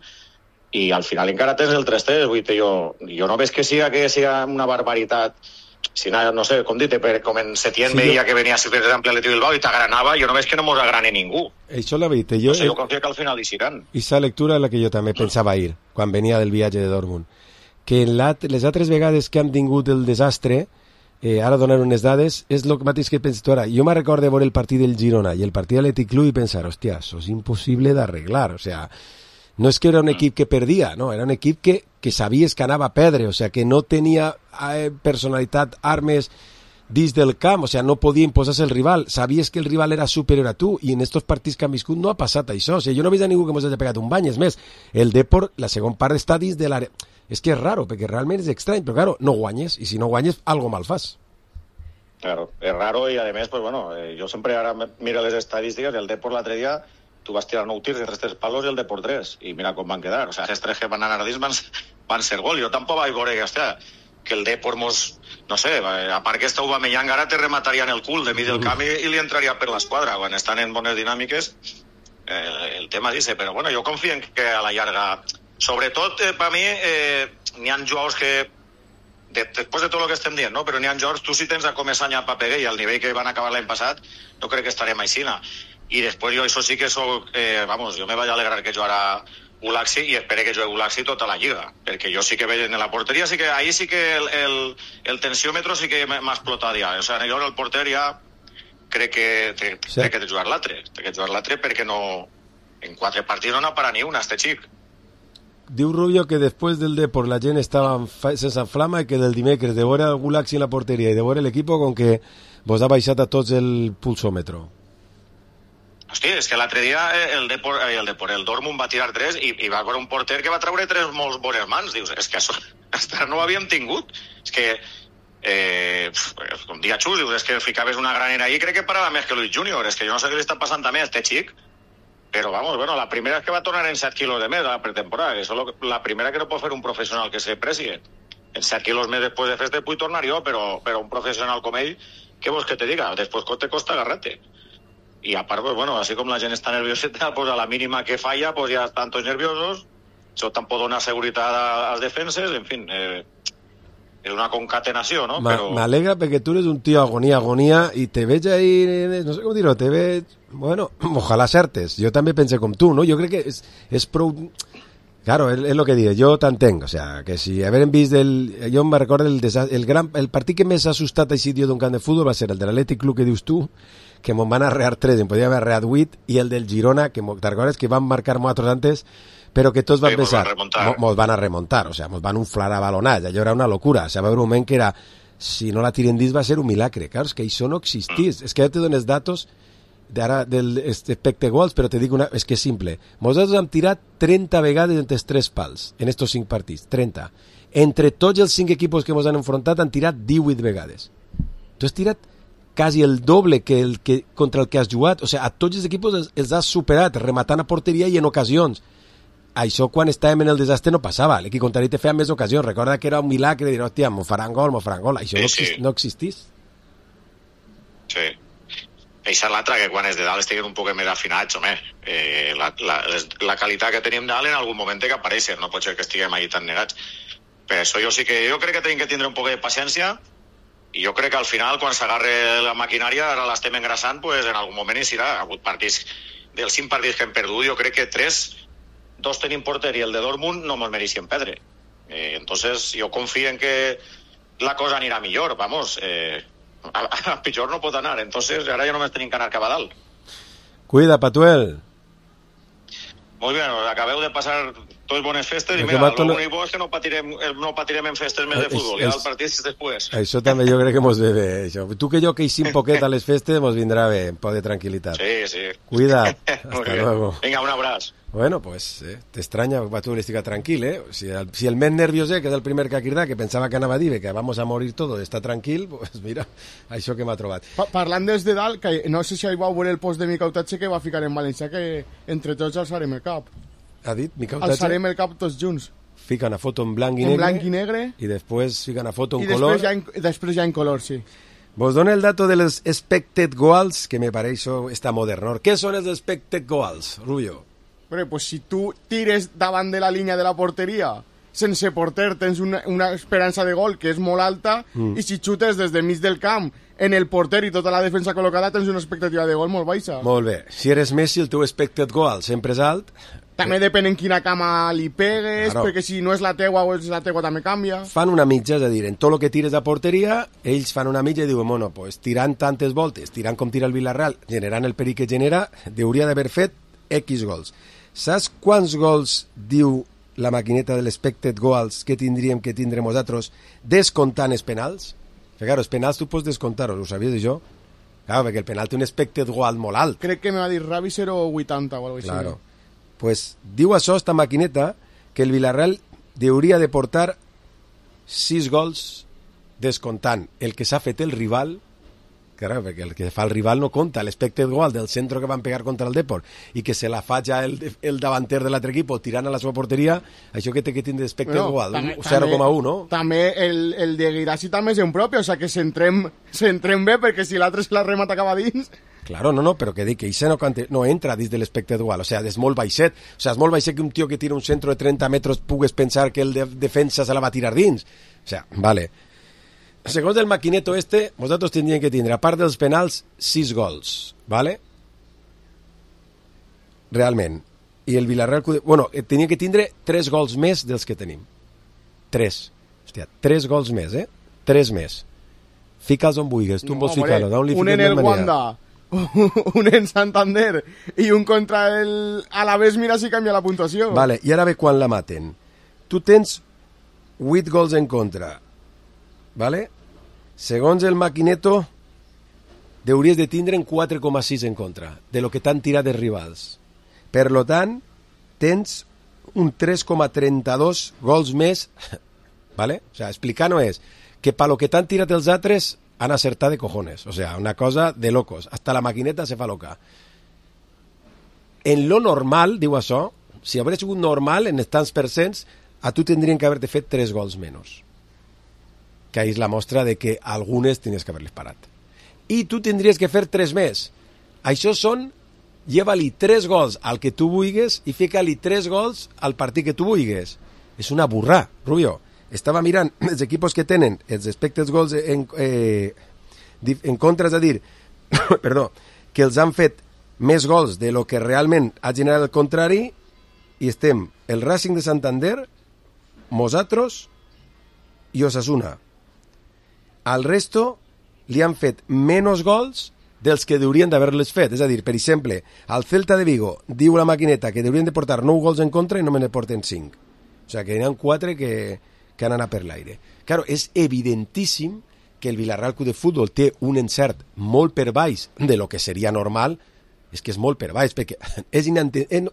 O: i al final encara tens el 3-3. Vull dir, jo no veig que siga una barbaritat. Si no sé, com dit, com en Setién veia que venia, per exemple, a l'Atleti Bilbao i t'agranava, jo no veig que no mos agrane ningú.
B: Això la veritat.
O: Jo confio que al final hi seran.
B: I esa lectura és la que jo també pensava ahir, quan venia del viatge de Dortmund. Que les altres vegades que hem tingut el desastre, ara donar unes dades, és el mateix que penso tu ara. Jo me recordo de veure el partit del Girona i el partit de l'Atlètic Club i pensar, hòstia, això és impossible d'arreglar, o sea... No és que era un equip que perdia, no, era un equip que sabies que anava a perdre, o sea, que no tenia personalitat, armes dins del camp, o sea, no podia imposar-se el rival, sabies que el rival era superior a tu, i en estos partits que han viscut no ha passat això, o sea, jo no he vist a ningú que mos hagi pegat un bany, és més, el Depor, la segona part està dins de l'àrea, és que és raro, perquè realment és estrany, però claro, no guanyes, i si no guanyes, algo mal fas.
O: Claro, és raro, i a més, pues bueno, jo sempre ara miro les estadístiques, el Depor l'altre dia tu vas tirar 9 tirs de 3 palos i el Depor 3, i mira com van quedar. O sea, els 3 que van anar dins van ser gol. Jo tampoc vaig veure que el Depor no sé, a part que està Aubameyang ara te remataria en el cul de mig del camp i li entraria per l'esquadra. Quan estan en bones dinàmiques, el tema dice, però bueno, jo confio en que a la llarga, sobretot per mi, n'hi ha jugadors que després de tot el que estem dient, no? Però n'hi ha jugadors, tu si tens a Comesaña a Papeguer i al nivell que van acabar l'any passat, no crec que estarem aixina. I després jo això sí que soc, jo me vaig alegrar que jugara Gulaxi i espero que jugui Gulaxi tota la lliga, perquè jo sí que veig en la porteria, ahí sí que el tensiòmetro sí que m'ha explotat ja. O sigui, jo el porter ja crec que té que jugar l'altre, perquè no, en 4 partits no n'ha parat ni una, este xic.
B: Diu Rubio que després del Depor la gent estava sense flama i que del dimecres de veure el Gulaxi en la porteria i de veure l'equip com que vos ha baixat a tots el pulsòmetro.
O: Hosti, és que l'altre dia el Dortmund va tirar 3 i va veure un porter que va treure 3 molt bones mans. Dius, és que això no ho havíem tingut. És que, com dia Xus, dius, és que ficaves una granera ahí, crec que parava més que Luis Junior. És que jo no sé què li està passant també a este xic, però vamos, bueno, la primera és que va tornar en 7 quilos de més a la pretemporada. Això és la primera que no pot fer un professional que se precie. En 7 quilos més després de festa puc tornar jo, però un professional com ell, què vols que te diga? Després te costa agarrar-te. Y aparte, pues bueno, así como la gente está nervioseta, pues a la mínima que falla, pues ya están todos nerviosos. Eso tampoco dona seguridad a las defenses, en fin, es una concatenació, no?
B: M'alegra perquè tu eres un tío agonía, y te veig ahí, no sé com dir-ho, te veig, bueno, ojalá acertes. Jo també pensé com tu, no? Jo crec que és prou... Claro, es lo que digo, yo t'entenc, o sea, que si haver vist jo me recordo el partit que més ha assustat així d'un camp de futbol va ser el de l'Atlètic Club que dius tu, que mos van arrear 3, em podia haver arreat 8, i el del Girona, que te recordes que van marcar nosaltres antes, però que tots van pensar, mos van a remontar, o sea, mos van inflar a balonats, allò era una locura, o sea, va haver un moment que era, si no la tiren dins va ser un milagre, claro, és que això no existís, és que ja te dones datos d'ara del expected goals, però te dic és que és simple, nosaltres hem tirat 30 vegades entre els 3 pals, en estos 5 partits, 30. Entre tots els 5 equipos que ens han enfrontat han tirat 18 vegades. Tu has tirat quasi el doble que contra el que has jugat, o sigui, a tots els equips els has superat, rematant a porteria i en ocasions. Això quan estàvem en el desastre no passava, l'equip contrari te feia més ocasions, recorda que era un milagre de dir, hòstia, m'ho faran gol, això no existís.
O: Sí. Això és l'altre, que quan els de dalt estiguen un poc més afinats, home, la qualitat que tenim dalt en algun moment té que aparèixer, no pot ser que estiguem allà tan negats. Per això jo crec que tenim que tindre un poc de paciència, i jo crec que al final, quan s'agarre la maquinària, ara l'estem engrassant, pues en algun moment hi serà. Ha hagut partits, dels 5 partits que hem perdut, jo crec que 2 tenim porter i el de Dortmund no mos mereixen perdre. Entonces, jo confio en que la cosa anirà millor, vamos. a pitjor no pot anar, entonces ara ja només tenim que anar cap a dalt.
B: Cuida, Patuel.
O: Molt bé, acabeu de passar totes bones festes i mira, l'únic bo és que no patirem en festes més de futbol, ja el partit és després.
B: Això també jo crec que mos ve bé, això. Tu que jo que eixim poquet a les festes mos vindrà bé, un poc de tranquil·litat.
O: Sí.
B: Cuida, hasta luego.
O: Vinga, un abraç.
B: Bueno, pues, t'estranya que Patuel estica tranquil, eh? Si el més nerviós que és el primer que ha cridat, que pensava que anava a dir que vamos a morir todo, està tranquil, pues mira, això que m'ha trobat.
C: Parlant des de dalt, que no sé si hi vau veure el post de Mica Utatge que va ficar en valencià, que entre tots alçarem el cap.
B: Ha dit Mica Utatge?
C: Alçarem el cap tots junts.
B: Fica una foto en blanc i negre. I després fica una foto en color.
C: I després ja en color, sí.
B: Vos dono el dato de los expected goals, que me pareix està modern. Què són els expected goals, Rubio?
C: Però, pues, si tu tires davant de la línia de la porteria sense porter tens una esperança de gol que és molt alta i si xutes des de mig del camp en el porter i tota la defensa col·locada tens una expectativa de gol molt baixa.
B: Molt bé. Si eres Messi, el teu expected goal sempre és alt.
C: També depèn en quina cama li pegues, claro. Perquè si no és la teua o és la teua també canvia.
B: Fan una mitja, és a dir, en tot el que tires a porteria, ells fan una mitja i diuen, bueno, pues, tirant tantes voltes, tirant com tira el Villarreal, generant el perill que genera, hauria d'haver fet X gols. Saps quants gols diu la maquineta de l'expected goals que tindríem que tindre nosaltres descomptant els penals? Que, claro, els penals tu pots descomptar-los, ho sabies jo? Claro, perquè el penal té un expected goal molt alt.
C: Crec que me va dir Ravi 0,80 o alguna cosa
B: claro. Pues diu això, esta maquineta, que el Villarreal hauria de portar 6 gols descomptant el que s'ha fet el rival. Claro, perquè el que fa el rival no compta, l'expected goal del centre que van pegar contra el Depor i que se la fa ja el davanter de l'altre equip tirant a la seva porteria, això que té que tindre expected goal, 0,1, no?
C: També el de Guirassi també és un propi, o sigui que s'entrem bé, perquè si l'altre se la remata acaba dins...
B: Claro, no, però que dic que això no entra dins de l'expected goal, o sigui, és molt baixet, o sigui, és molt baixet que un tio que tira un centre de 30 metres pugues pensar que el defensa se la va tirar dins, o sigui, vale. Segons el maquineto vosaltres tindríem que tindre, a part dels penals, 6 gols, ¿vale? Realment. I el Villarreal... Bueno, tenia que tindre 3 gols més dels que tenim. 3. Hòstia, 3 gols més, 3 més. Fica'ls on vulguis, tu vols ficar-lo.
C: Un en el Wanda, un en Santander i un contra el Alavés, mira si canvia la puntuació.
B: Vale, i ara ve quan la maten. Tu tens 8 gols en contra, ¿vale? Segons el maquineto hauries de tindre en 4,6 en contra de lo que t'han tirat els rivals. Per lo tant, tens un 3,32 gols més, ¿vale? O sea, explicar no és que pa lo que t'han tirat els altres han acertat de cojones, o sea, una cosa de locos, hasta la maquineta se fa loca. En lo normal, diu això, si hagués sigut normal en els tants percents, a tu tindrien que haver-te fet 3 gols menys. Que és la mostra de que algunes tenies que haver-les parat. I tu tindries que fer 3 més. Això són, lleva-li 3 gols al que tu vulguis i fica-li 3 gols al partit que tu vulguis. És una burrà, Rubio. Estava mirant els equipos que tenen els expected goals en contra, és a dir, perdó, que els han fet més gols de lo que realment ha generat el contrari, i estem el Racing de Santander, nosaltres i Osasuna. Al resto li han fet menys gols dels que haurien d'haver-les fet. És a dir, per exemple, al Celta de Vigo diu la maquineta que haurien de portar 9 gols en contra i no me ne porten 5. O sigui, que hi ha 4 que han anat per l'aire. Claro, és evidentíssim que el Villarreal Club de Futbol té un encert molt per baix de lo que seria normal. És que és molt per baix, perquè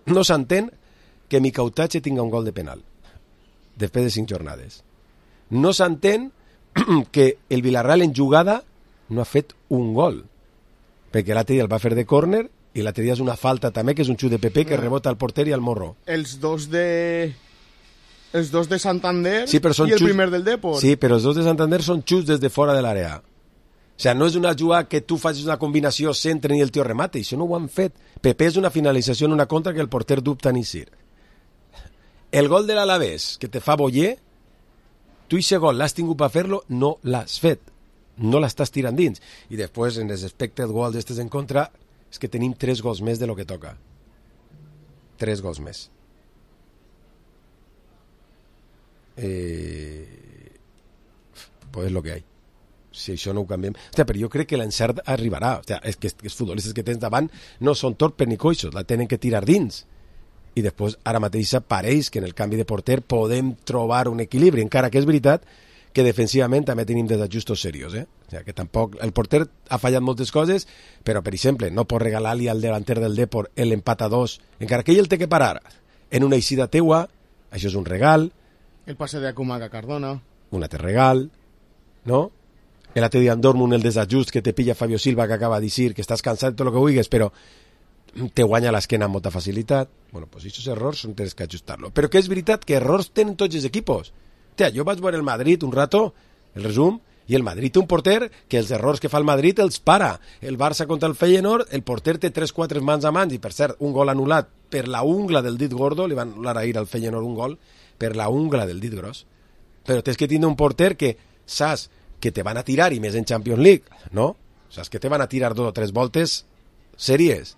B: no s'entén que Mica Utatge tinga un gol de penal després de 5 jornades. No s'entén que el Villarreal en jugada no ha fet un gol, perquè l'altre dia el va fer de córner i l'altre dia és una falta també, que és un xut de Pepe que rebota al porter i al morro.
C: Els dos de Santander sí, i el primer del Depor.
B: Sí, però els dos de Santander són xuts des de fora de l'àrea. O sigui, no és una jugada que tu facis una combinació, centren i el tio remate, això no ho han fet. Pepe és una finalització en una contra que el porter dubta ni sir. El gol de l'Alavés, que te fa Boyer, tu aquest gol l'has tingut per fer-lo, no l'has fet. No l'estàs tirant dins. I després, en els expected goals d'estes en contra, és que tenim 3 gols més de lo que toca. 3 gols més. Pues es lo que hay. O si això no ho canviem... Hòstia, però jo crec que l'encert arribarà. Hòstia, és que els futbolistes que tens davant no són torpes ni coixos, la tenen que tirar dins. I després, ara mateix, pareix que en el canvi de porter podem trobar un equilibri, encara que és veritat que defensivament també tenim desajustos serios, O sigui, que tampoc... El porter ha fallat moltes coses, però, per exemple, no pot regalar-li al delanter del Depor l'empat a 2, encara que ell el té que parar en una eixida teua, això és un regal.
C: El passe de Akumaga a Cardona.
B: Un altre regal, no? El altre dia en Dortmund, el desajust que te pilla Fabio Silva, que acaba de dir que estàs cansat de tot el que vulguis, però te guanya l'esquena amb molta facilitat. Bueno, pues aquests errors són tens que ajustar-lo. Però que és veritat que errors tenen tots els equipos. Hòstia, jo vaig veure el Madrid un rato, el resum, i el Madrid té un porter que els errors que fa el Madrid els para. El Barça contra el Feyenoord, el porter té 3-4 mans a mans, i per cert, un gol anul·lat per la ungla del dit gordo, li van anul·lar ahir al Feyenoord un gol, per la ungla del dit gros. Però tens que tindre un porter que saps que te van a tirar, i més en Champions League, no? Saps que te van a tirar 2 o 3 voltes sèries.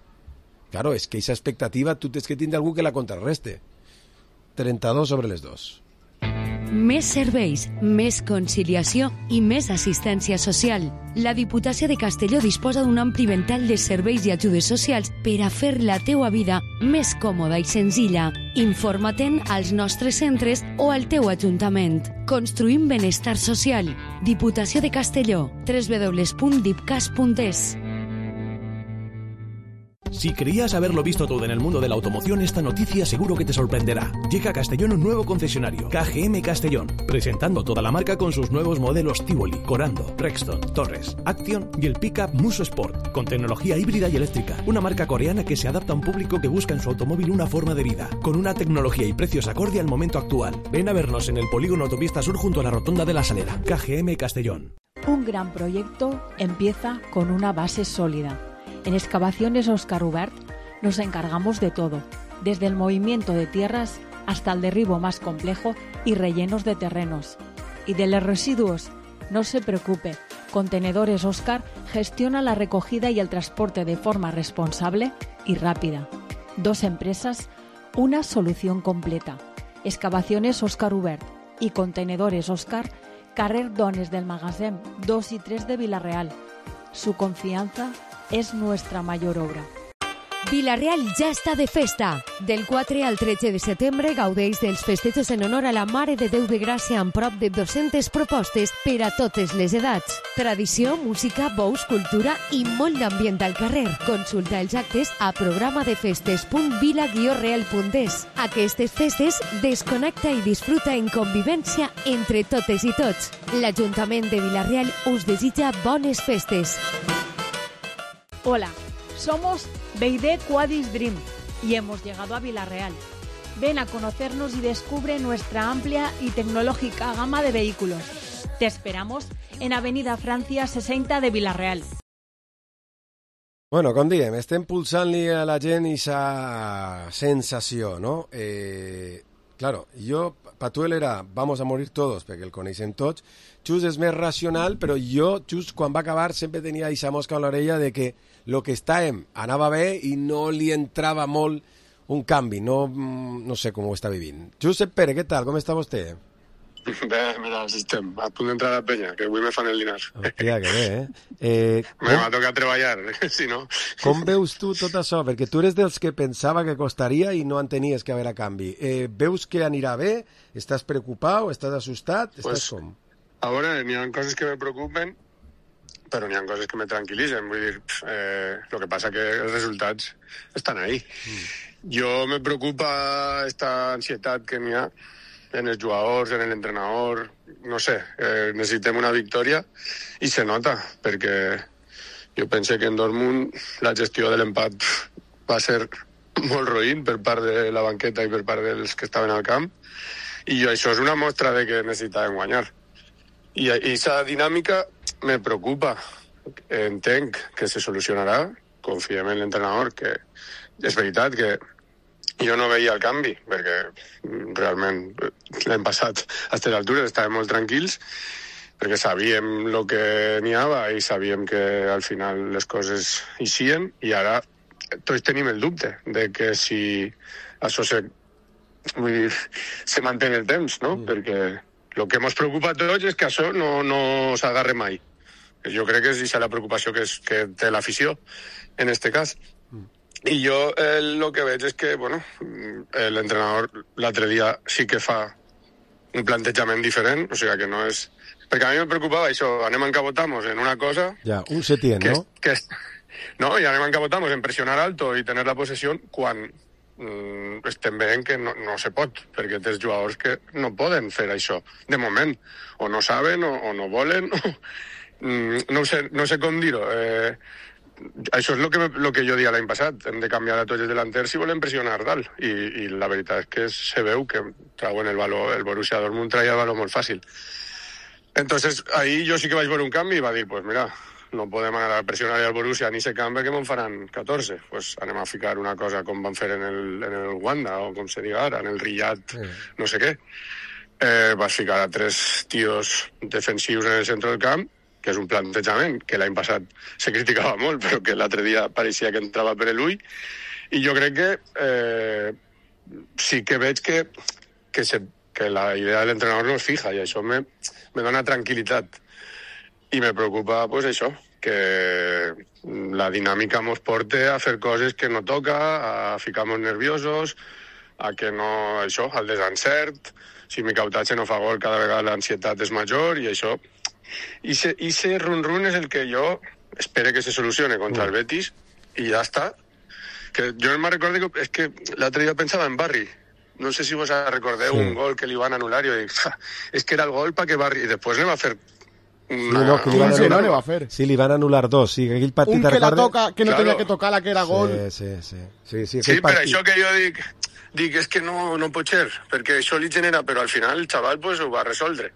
B: Claro, és que aquesta expectativa tu tens que tindre algú que la contrarreste. 32 sobre les 2.
I: Més serveis, més conciliació i més assistència social. La Diputació de Castelló disposa d'un ampli ventall de serveis i ajudes socials per a fer la teua vida més còmoda i senzilla. Informa-te'n als nostres centres o al teu ajuntament. Construïm benestar social. Diputació de Castelló. www.dipcas.es.
P: Si creías haberlo visto todo en el mundo de la automoción, esta noticia seguro que te sorprenderá. Llega a Castellón un nuevo concesionario, KGM Castellón, presentando toda la marca con sus nuevos modelos Tivoli, Corando, Rexton, Torres, Action y el pickup Muso Sport, con tecnología híbrida y eléctrica. Una marca coreana que se adapta a un público que busca en su automóvil una forma de vida, con una tecnología y precios acorde al momento actual. Ven a vernos en el polígono Autopista Sur junto a la Rotonda de la Salera. KGM Castellón.
L: Un gran proyecto empieza con una base sólida. En Excavaciones Óscar Ubert nos encargamos de todo, desde el movimiento de tierras hasta el derribo más complejo y rellenos de terrenos. Y de los residuos, no se preocupe, Contenedores Óscar gestiona la recogida y el transporte de forma responsable y rápida. 2 empresas, una solución completa. Excavaciones Óscar Ubert y Contenedores Óscar, carrer Dones del Magasin 2 y 3 de Vila-real. Su confianza es nuestra mayor obra.
I: Vila-real ja està de festa. Del 4 al 13 de setembre gaudeix dels festejos en honor a la Mare de Déu de Gràcia amb prop de 200 propostes per a totes les edats. Tradició, música, bous, cultura i molt d'ambient al carrer. Consulta els actes a programadefestes.vila-real.es. Aquestes festes desconnecta i disfruta en convivència entre totes i tots. L'Ajuntament de Vila-real us desitja bones festes.
L: Hola, somos BYD Quadis Dream y hemos llegado a Vila-real. Ven a conocernos y descubre nuestra amplia y tecnológica gama de vehículos. Te esperamos en Avenida Francia 60 de Vila-real.
B: Bueno, com diem, estem pulsant-li a la gent aquesta sensació, no? Claro, jo, Patuel era vamos a morir todos, perquè el coneixem tots. Xus és més racional, però jo, Xus, quan va acabar, sempre tenia aquesta mosca a l'orella de que el que estàvem anava bé i no li entrava molt un canvi. No sé com ho està vivint. Josep Pere, què tal? Com està vostè?
Q: Bé, mira, si estem a punt d'entrar a la penya, que avui me fan el dinar.
B: Hòstia, que bé,
Q: M'ha tocat treballar, si no...
B: Com veus tu tot això? Perquè tu eres dels que pensava que costaria i no entenies que haver a canvi. Veus que anirà bé? Estàs preocupat? Estàs assustat? Estàs com?
Q: A veure, n'hi ha coses que me preocupen, però n'hi ha coses que me tranquil·litzen. Vull dir, lo que passa que els resultats estan ahí. Jo me preocupa esta ansietat que n'hi ha en els jugadors, en l'entrenador, no sé, necessitem una victòria i se nota, perquè jo pense que en Dortmund la gestió de l'empat va ser molt roïn per part de la banqueta i per part dels que estaven al camp, i això és una mostra de que necessitàvem guanyar. I aquesta dinàmica me preocupa. Entenc que se solucionarà, confiem en l'entrenador, que és veritat que jo no veia el canvi, perquè realment l'any passat a aquestes altures estàvem molt tranquils, perquè sabíem el que n'hi havia i sabíem que al final les coses eixien, i ara tots tenim el dubte de que si això se manté en el temps, no? Perquè el que ens preocupa a tots és que això no s'agarre mai. Jo crec que és aquesta la preocupació que té l'afició, en este cas. I jo el que veig és que, bueno, l'entrenador l'altre dia sí que fa un plantejament diferent, o sigui que no és... Perquè a mi me preocupava això, anem a encabotamos en una cosa...
B: Ja, un Setién, ¿no?
Q: No, i anem a encabotamos en presionar alto i tener la possessió quan estem veient que no se pot, perquè tens jugadors que no poden fer això, de moment. O no saben, o no volen, no sé com dir-ho. Això és el que jo dia l'any passat. Hem de canviar a tots els delanters si volem pressionar dalt. I la veritat és que se veu que trauen el Borussia Dortmund traia el valor molt fàcil. Entonces, ahí jo sí que vaig veure un canvi i va dir, pues mira, no podem anar a pressionar al Borussia ni se canvi perquè me'n faran 14. Pues anem a ficar una cosa com van fer en el Wanda, o com se diga ara, en el Riyadh, no sé què. Vas ficar a 3 tios defensius en el centre del camp, que és un plantejament que l'any passat se criticava molt, però que l'altre dia pareixia que entrava per l'ull. I jo crec que sí que veig que la idea de l'entrenador no es fija, i això me dona tranquil·litat. I me preocupa, pues això, que la dinàmica mos porte a fer coses que no toca, a ficar-nos nerviosos, a que no, això, al desencert, si mi cautatge no fa gol cada vegada l'ansietat és major, i això... I ese run-run és el que jo espero que se solucione contra el Betis, i ja està. Que jo me'n recordo que és que l'altre dia pensava en Barry. No sé si vos recordeu un gol que li van anul·lar, i jo dic, és que era el gol perquè Barry... I després ne va fer...
B: Sí, li van anul·lar 2. Sí, aquell partit,
C: un que la toca, que no tenia que tocar, la que era gol.
B: Sí,
Q: per això que jo dic és que no pot ser, perquè això li genera, però al final el xaval pues, ho va resoldre.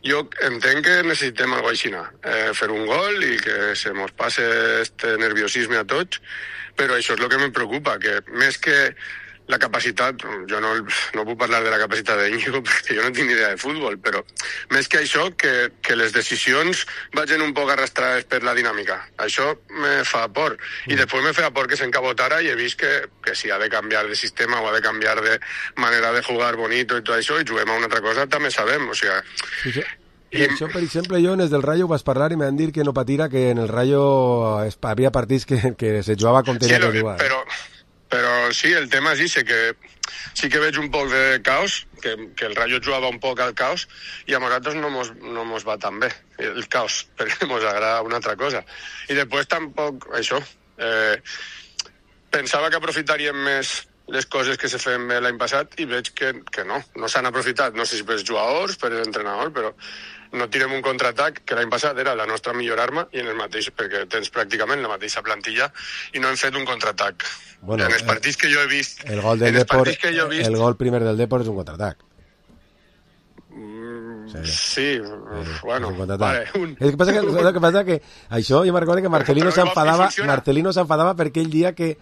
Q: Jo entenc que necessitem alguna cosa així, fer un gol i que se mos passe este nerviosisme a tots, però això és el que me preocupa, que més que la capacitat, jo no puc parlar de la capacitat d'Íñigo perquè jo no tinc ni idea de futbol, però més que això, que les decisions vagin un poc arrastrades per la dinàmica. Això me fa por. I després me fa por que s'encabotara i he vist que si ha de canviar de sistema o ha de canviar de manera de jugar bonito i tot això, i juguem a una altra cosa, també sabem, o sigui...
B: I això, per exemple, jo en el del Rayo vas parlar i m'han dit que no patira, que en el Rayo havia partits que se jugava com tenia que jugar.
Q: Però sí, el tema és que sí que veig un poc de caos, que el Rayo jugava un poc al caos, i a nosaltres no mos va tan bé el caos, perquè mos agrada una altra cosa. I després tampoc, això, pensava que aprofitaríem més les coses que se feien bé l'any passat i veig que no s'han aprofitat, no sé si per els jugadors, per l'entrenador, però no tirem un contraatac, que l'any passat era la nostra millor arma, i en el mateix, perquè tens pràcticament la mateixa plantilla, i no hem fet un contraatac. Bueno, en els partits que jo he vist...
B: El gol primer del Depor és un contraatac.
Q: Sí, bueno, vale.
B: El que passa que això, jo me'n recordo que Marcelino s'enfadava perquè ell dia que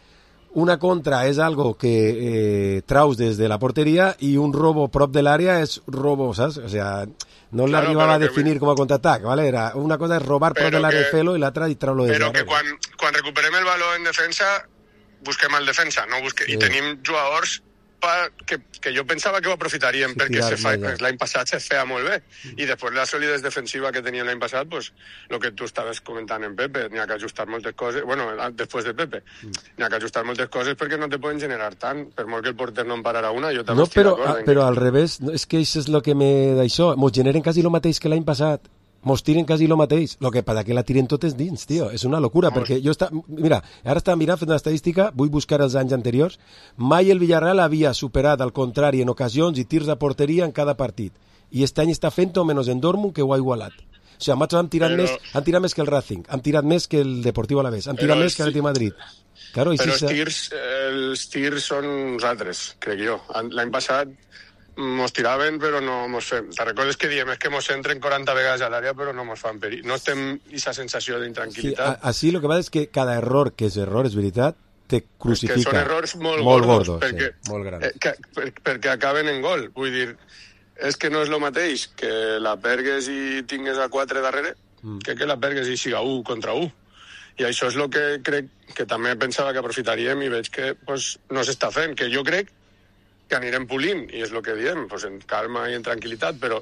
B: una contra és algo que traus des de la porteria i un robo prop de l'àrea és robo, saps? O sea, no l'arribava a definir com a contraatac, ¿vale? Era una cosa és robar prop de l'àrea i fer-lo i l'altra i treure-lo des de l'àrea.
Q: Però que quan recuperem el valor en defensa busquem el defensa, i tenim jugadors que jo pensava que ho aprofitaríem perquè l'any passat se feia molt bé, i després la solidesa defensiva que teníem l'any passat, pues, el que tu estaves comentant en Pepe, n'hi ha que ajustar moltes coses, bueno, després de Pepe, n'hi ha que ajustar moltes coses perquè no te poden generar tant, per molt que el porter no en pararà una, jo també estic d'acord.
B: Però al revés, és que això és el que d'això, mos generen quasi el mateix que l'any passat, mos tiren quasi el mateix, el que passa que la tiren totes dins, tio, és una locura, perquè mira, ara estava mirant, fent una estadística, vull buscar els anys anteriors, mai el Villarreal havia superat, al contrari, en ocasions i tirs a porteria en cada partit, i aquest any està fent-ho menys en Dortmund, que ho ha igualat. O sigui, han tirat més que el Racing, han tirat més que el Deportivo Alavés, han tirat més que l'Atlètic Madrid.
Q: Claro, però els tirs són uns altres, crec jo. L'any passat mos tiraven però no mos fem. Te recordes que diem és que mos entren 40 vegades a l'àrea però no mos fan perill. No estem aquesta sensació d'intranquil·litat.
B: Sí, així el que passa és que cada error que és error, és veritat, te crucifica.
Q: Que són errors molt gordos
B: perquè, sí, molt grans.
Q: Perquè acaben en gol. Vull dir, és que no és el mateix que la pergues i tingues a 4 darrere que la pergues i siga 1 contra 1. I això és el que crec que també pensava que aprofitaríem i veig que pues, no s'està fent. Que jo crec que anirem polint, i és el que diem, pues en calma i en tranquil·litat, però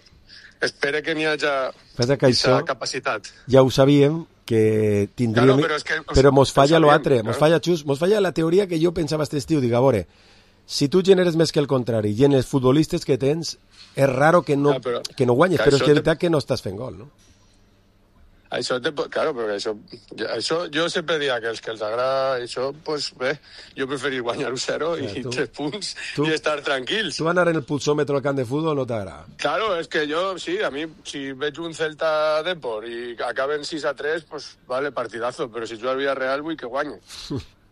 Q: espero que n'hi hagi aquesta capacitat.
B: Ja ho sabíem, que tindríem...
Q: Claro,
B: però mos falla l'altre, mos falla, Xus, mos falla la teoria que jo pensava este estiu. Dic, a veure, si tu generes més que el contrari i en els futbolistes que tens, és raro que no guanyes, però és que és veritat que no estàs fent gol, no?
Q: Claro, perquè això jo sempre diria que els que els agrada això, pues bé, jo preferir guanyar 1-0 i 3 punts i estar tranquils.
B: Tu anar en el pulsòmetre al camp de futbol no t'agrada?
Q: Claro, és que jo, sí, a mi, si veig un Celta Depor i acaben 6-3, pues vale, partidazo, però si jo al Villarreal vull que guanyi.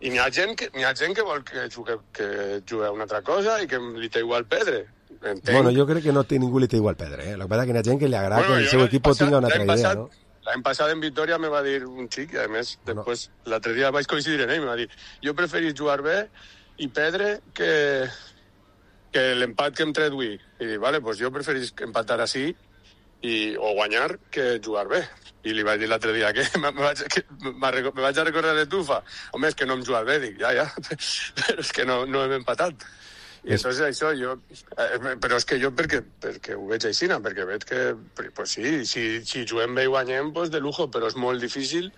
Q: I n'hi ha gent que vol que jugui a una altra cosa i que li té igual Pedre. Entenc.
B: Bueno, jo crec que no té ningú li té igual Pedre, El que passa que n'hi ha gent que li agrada que el seu equip tinga una altra idea, no?
Q: L'any passat en Vitoria me va dir un xic, i a més, després, l'altre dia vaig coincidir en ell, me va dir, jo preferís jugar bé i Pedre que l'empat que em tret avui. I dic, vale, pues jo preferís empatar així o guanyar que jugar bé. I li vaig dir l'altre dia que me vaig a recordar de tu, fa, home, és que no hem jugat bé. Dic, ja, però és que no hem empatat. I entonces això jo... Però és que jo perquè ho veig així, perquè veig que, pues sí, si juguem bé i guanyem, pues de lujo, però és molt difícil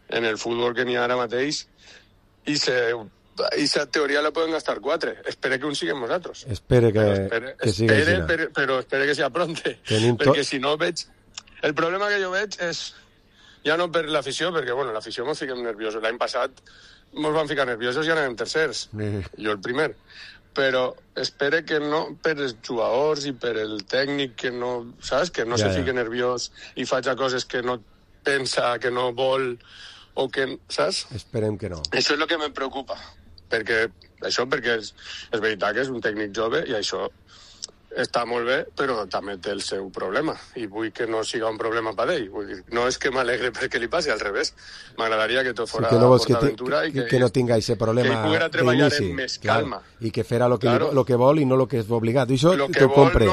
Q: en el futbol que n'hi ha ara mateix i esa teoria la poden gastar 4. Espero que un siguem nosaltres.
B: Espero que sigui així.
Q: Però espero que sigui pronte, perquè si no veig... El problema que jo veig és, ja no per l'afició, perquè bueno, l'afició mos fiquem nerviosos. L'any passat mos van ficar nerviosos i anàvem tercers. Jo el primer. Però espero que no per els jugadors i per el tècnic que no, saps? Que no se fique nerviós i faci coses que no pensa, que no vol, o que, saps?
B: Esperem que no.
Q: Això és el que em preocupa, perquè és veritat que és un tècnic jove i això està molt bé, però també té el seu problema i vull que no siga un problema per ell. Vull dir, no és que m'alegre perquè li passi, al revés. M'agradaria que tot fora PortAventura i
B: que no tinga aquest problema
Q: que ell poguera treballar amb més calma.
B: I que fera lo que vol i no lo que és obligat. I això t'ho compre.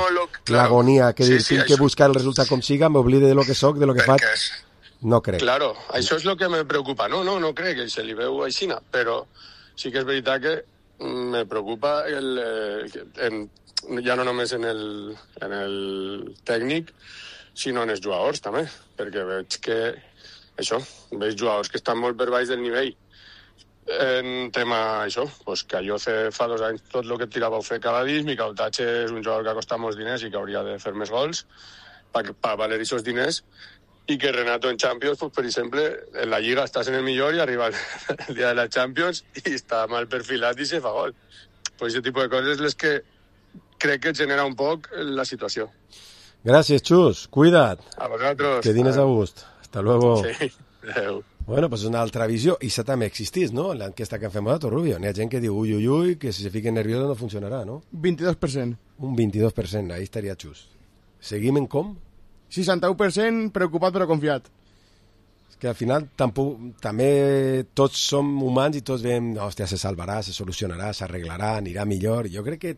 B: L'agonia, que tinc que buscar el resultat com siga, m'oblide de lo que soc, de lo que faig. No crec.
Q: Claro, això és el que me preocupa. No crec que se li veu aixina, però sí que és veritat que me preocupa ja no només en el tècnic, sinó en els jugadors també, perquè veig que veig jugadors que estan molt per baix del nivell en tema això, pues que jo fa 2 anys tot el que tirava ho fer cada dia, Miquel Tatxe és un jugador que ha costat molts diners i que hauria de fer més gols per valer aquests diners, i que Renato en Champions, pues, per exemple, en la Lliga estàs en el millor i arriba el dia de la Champions i està mal perfilat i se fa gol. Pues aquest tipus de coses les que crec que genera un poc la situació.
B: Gràcies, Xus. Cuida't.
Q: A vosaltres.
B: Que dines a gust. Hasta luego.
Q: Sí, adeu.
B: Bueno, pues és una altra visió. I això també existís, no? En l'enquesta que fem nosaltres, Rubio. N'hi ha gent que diu, ui, que si se fiquen nerviosos no funcionarà, no?
C: 22%.
B: Un 22%, ahí estaria Xus. Seguim en com?
C: 61% preocupat però confiat.
B: És que al final també tots som humans i tots veiem, hòstia, se salvarà, se solucionarà, s'arreglarà, anirà millor. Jo crec que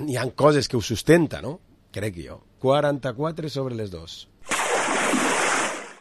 B: hi ha coses que ho sustenta, ¿no? Crec jo. 44 sobre les 2.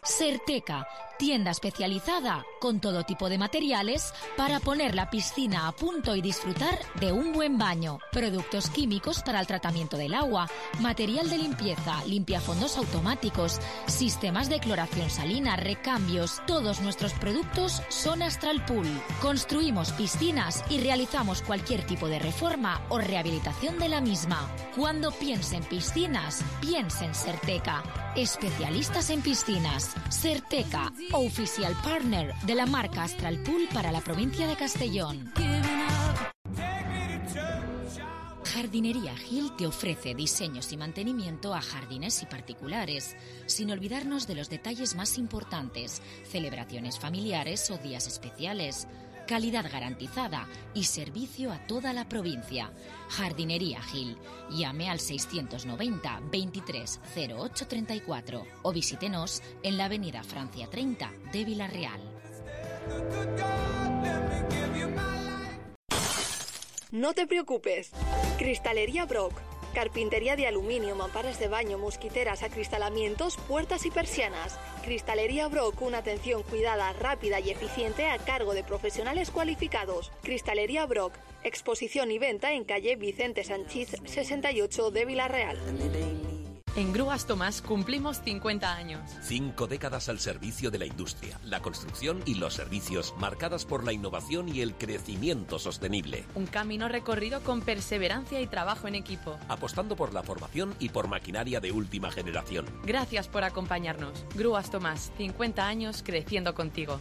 R: Certeca, tienda especializada con todo tipo de materiales para poner la piscina a punto y disfrutar de un buen baño. Productos químicos para el tratamiento del agua, material de limpieza, limpiafondos automáticos, sistemas de cloración salina, recambios. Todos nuestros productos son Astral Pool. Construimos piscinas y realizamos cualquier tipo de reforma o rehabilitación de la misma. Cuando piense en piscinas, piense en Certeca. Especialistas en piscinas. Certeca, oficial partner de la marca Astral Pool para la provincia de Castellón. Jardinería Gil te ofrece diseños y mantenimiento a jardines y particulares, sin olvidarnos de los detalles más importantes, celebraciones familiares o días especiales. Calidad garantizada y servicio a toda la provincia. Jardinería Gil. Llame al 690 23 08 34 o visítenos en la avenida Francia 30 de Villarreal.
S: No te preocupes. Cristalería Brock. Carpintería de aluminio, mamparas de baño, mosquiteras, acristalamientos, puertas y persianas. Cristalería Brock, una atención cuidada, rápida y eficiente a cargo de profesionales cualificados. Cristalería Brock, exposición y venta en calle Vicente Sanchís 68 de Villarreal.
T: En Grúas Tomás cumplimos 50 años.
U: 5 décadas al servicio de la industria, la construcción y los servicios, marcadas por la innovación y el crecimiento sostenible.
T: Un camino recorrido con perseverancia y trabajo en equipo.
U: Apostando por la formación y por maquinaria de última generación.
T: Gracias por acompañarnos. Grúas Tomás, 50 años creciendo contigo.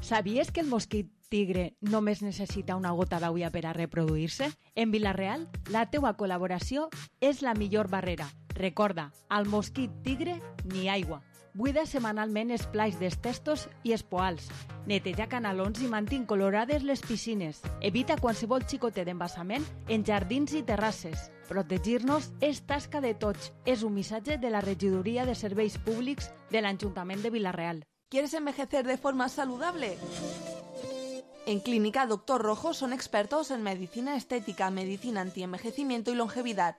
L: ¿Sabies que el mosquit tigre només necessita una gota d'aigua per a reproduir-se? En Vila-real, la teua col·laboració és la millor barrera. Recorda, al mosquit tigre, ni aigua. Buida setmanalment els plats dels testos i els poals. Neteja canalons i mantén colorades les piscines. Evita qualsevol xicotet d'embassament en jardins i terrasses. Protegir-nos és tasca de tots. És un missatge de la Regidoria de Serveis Públics de l'Ajuntament de Vila-real.
V: ¿Quieres envejecer de forma saludable? En Clínica Dr. Rojo son expertos en medicina estética, medicina antienvejecimiento y longevidad.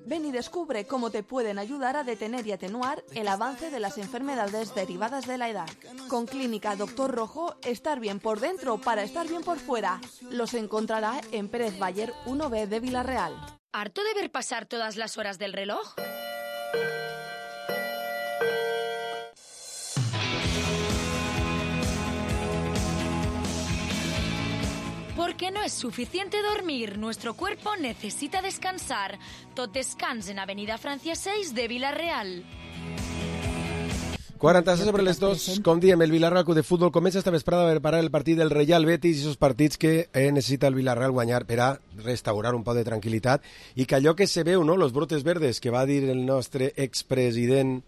V: Ven y descubre cómo te pueden ayudar a detener y atenuar el avance de las enfermedades derivadas de la edad. Con Clínica Dr. Rojo, estar bien por dentro para estar bien por fuera. Los encontrará en Pérez Bayer 1B de Vila-real.
R: ¿Harto de ver pasar todas las horas del reloj? Porque no es suficiente dormir, nuestro cuerpo necesita descansar. Tot descans en Avenida Francia 6 de Vila-real.
B: 46 sobre les 2, com diem, el Villarreal Club de Futbol comença esta vesprada a preparar el partit del Reial Betis i esos partits que necessita el Villarreal guanyar per a restaurar un poc de tranquil·litat i que allò que se veu, no?, los brotes verdes que va dir el nostre expresident,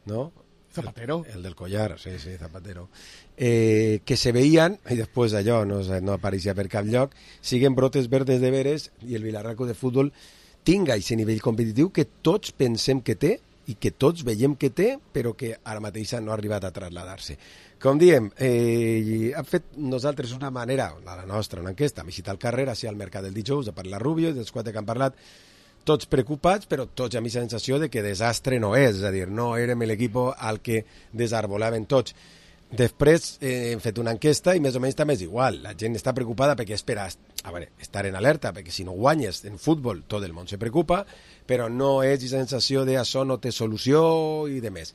B: no?,
C: Zapatero.
B: El del collar, sí, Zapatero. Que se veien, i després allò no apareixia per cap lloc, siguen brotes verdes de veres i el Villarreal Club de Futbol tinga aquest nivell competitiu que tots pensem que té i que tots veiem que té, però que ara mateix no ha arribat a traslladar-se. Com diem, hem fet nosaltres una manera, la nostra, una enquesta, hem visitat el carrer, hacia el mercat del dijous, de parlar Rubio, dels 4 que han parlat, tots preocupats, però tots amb la sensació de que desastre no és a dir, no érem l'equip al que desarbolaven tots. Després hem fet una enquesta i més o menys també és igual, la gent està preocupada perquè espera estar en alerta, perquè si no guanyes en futbol tot el món se preocupa, però no és la sensació de això no té solució i de més.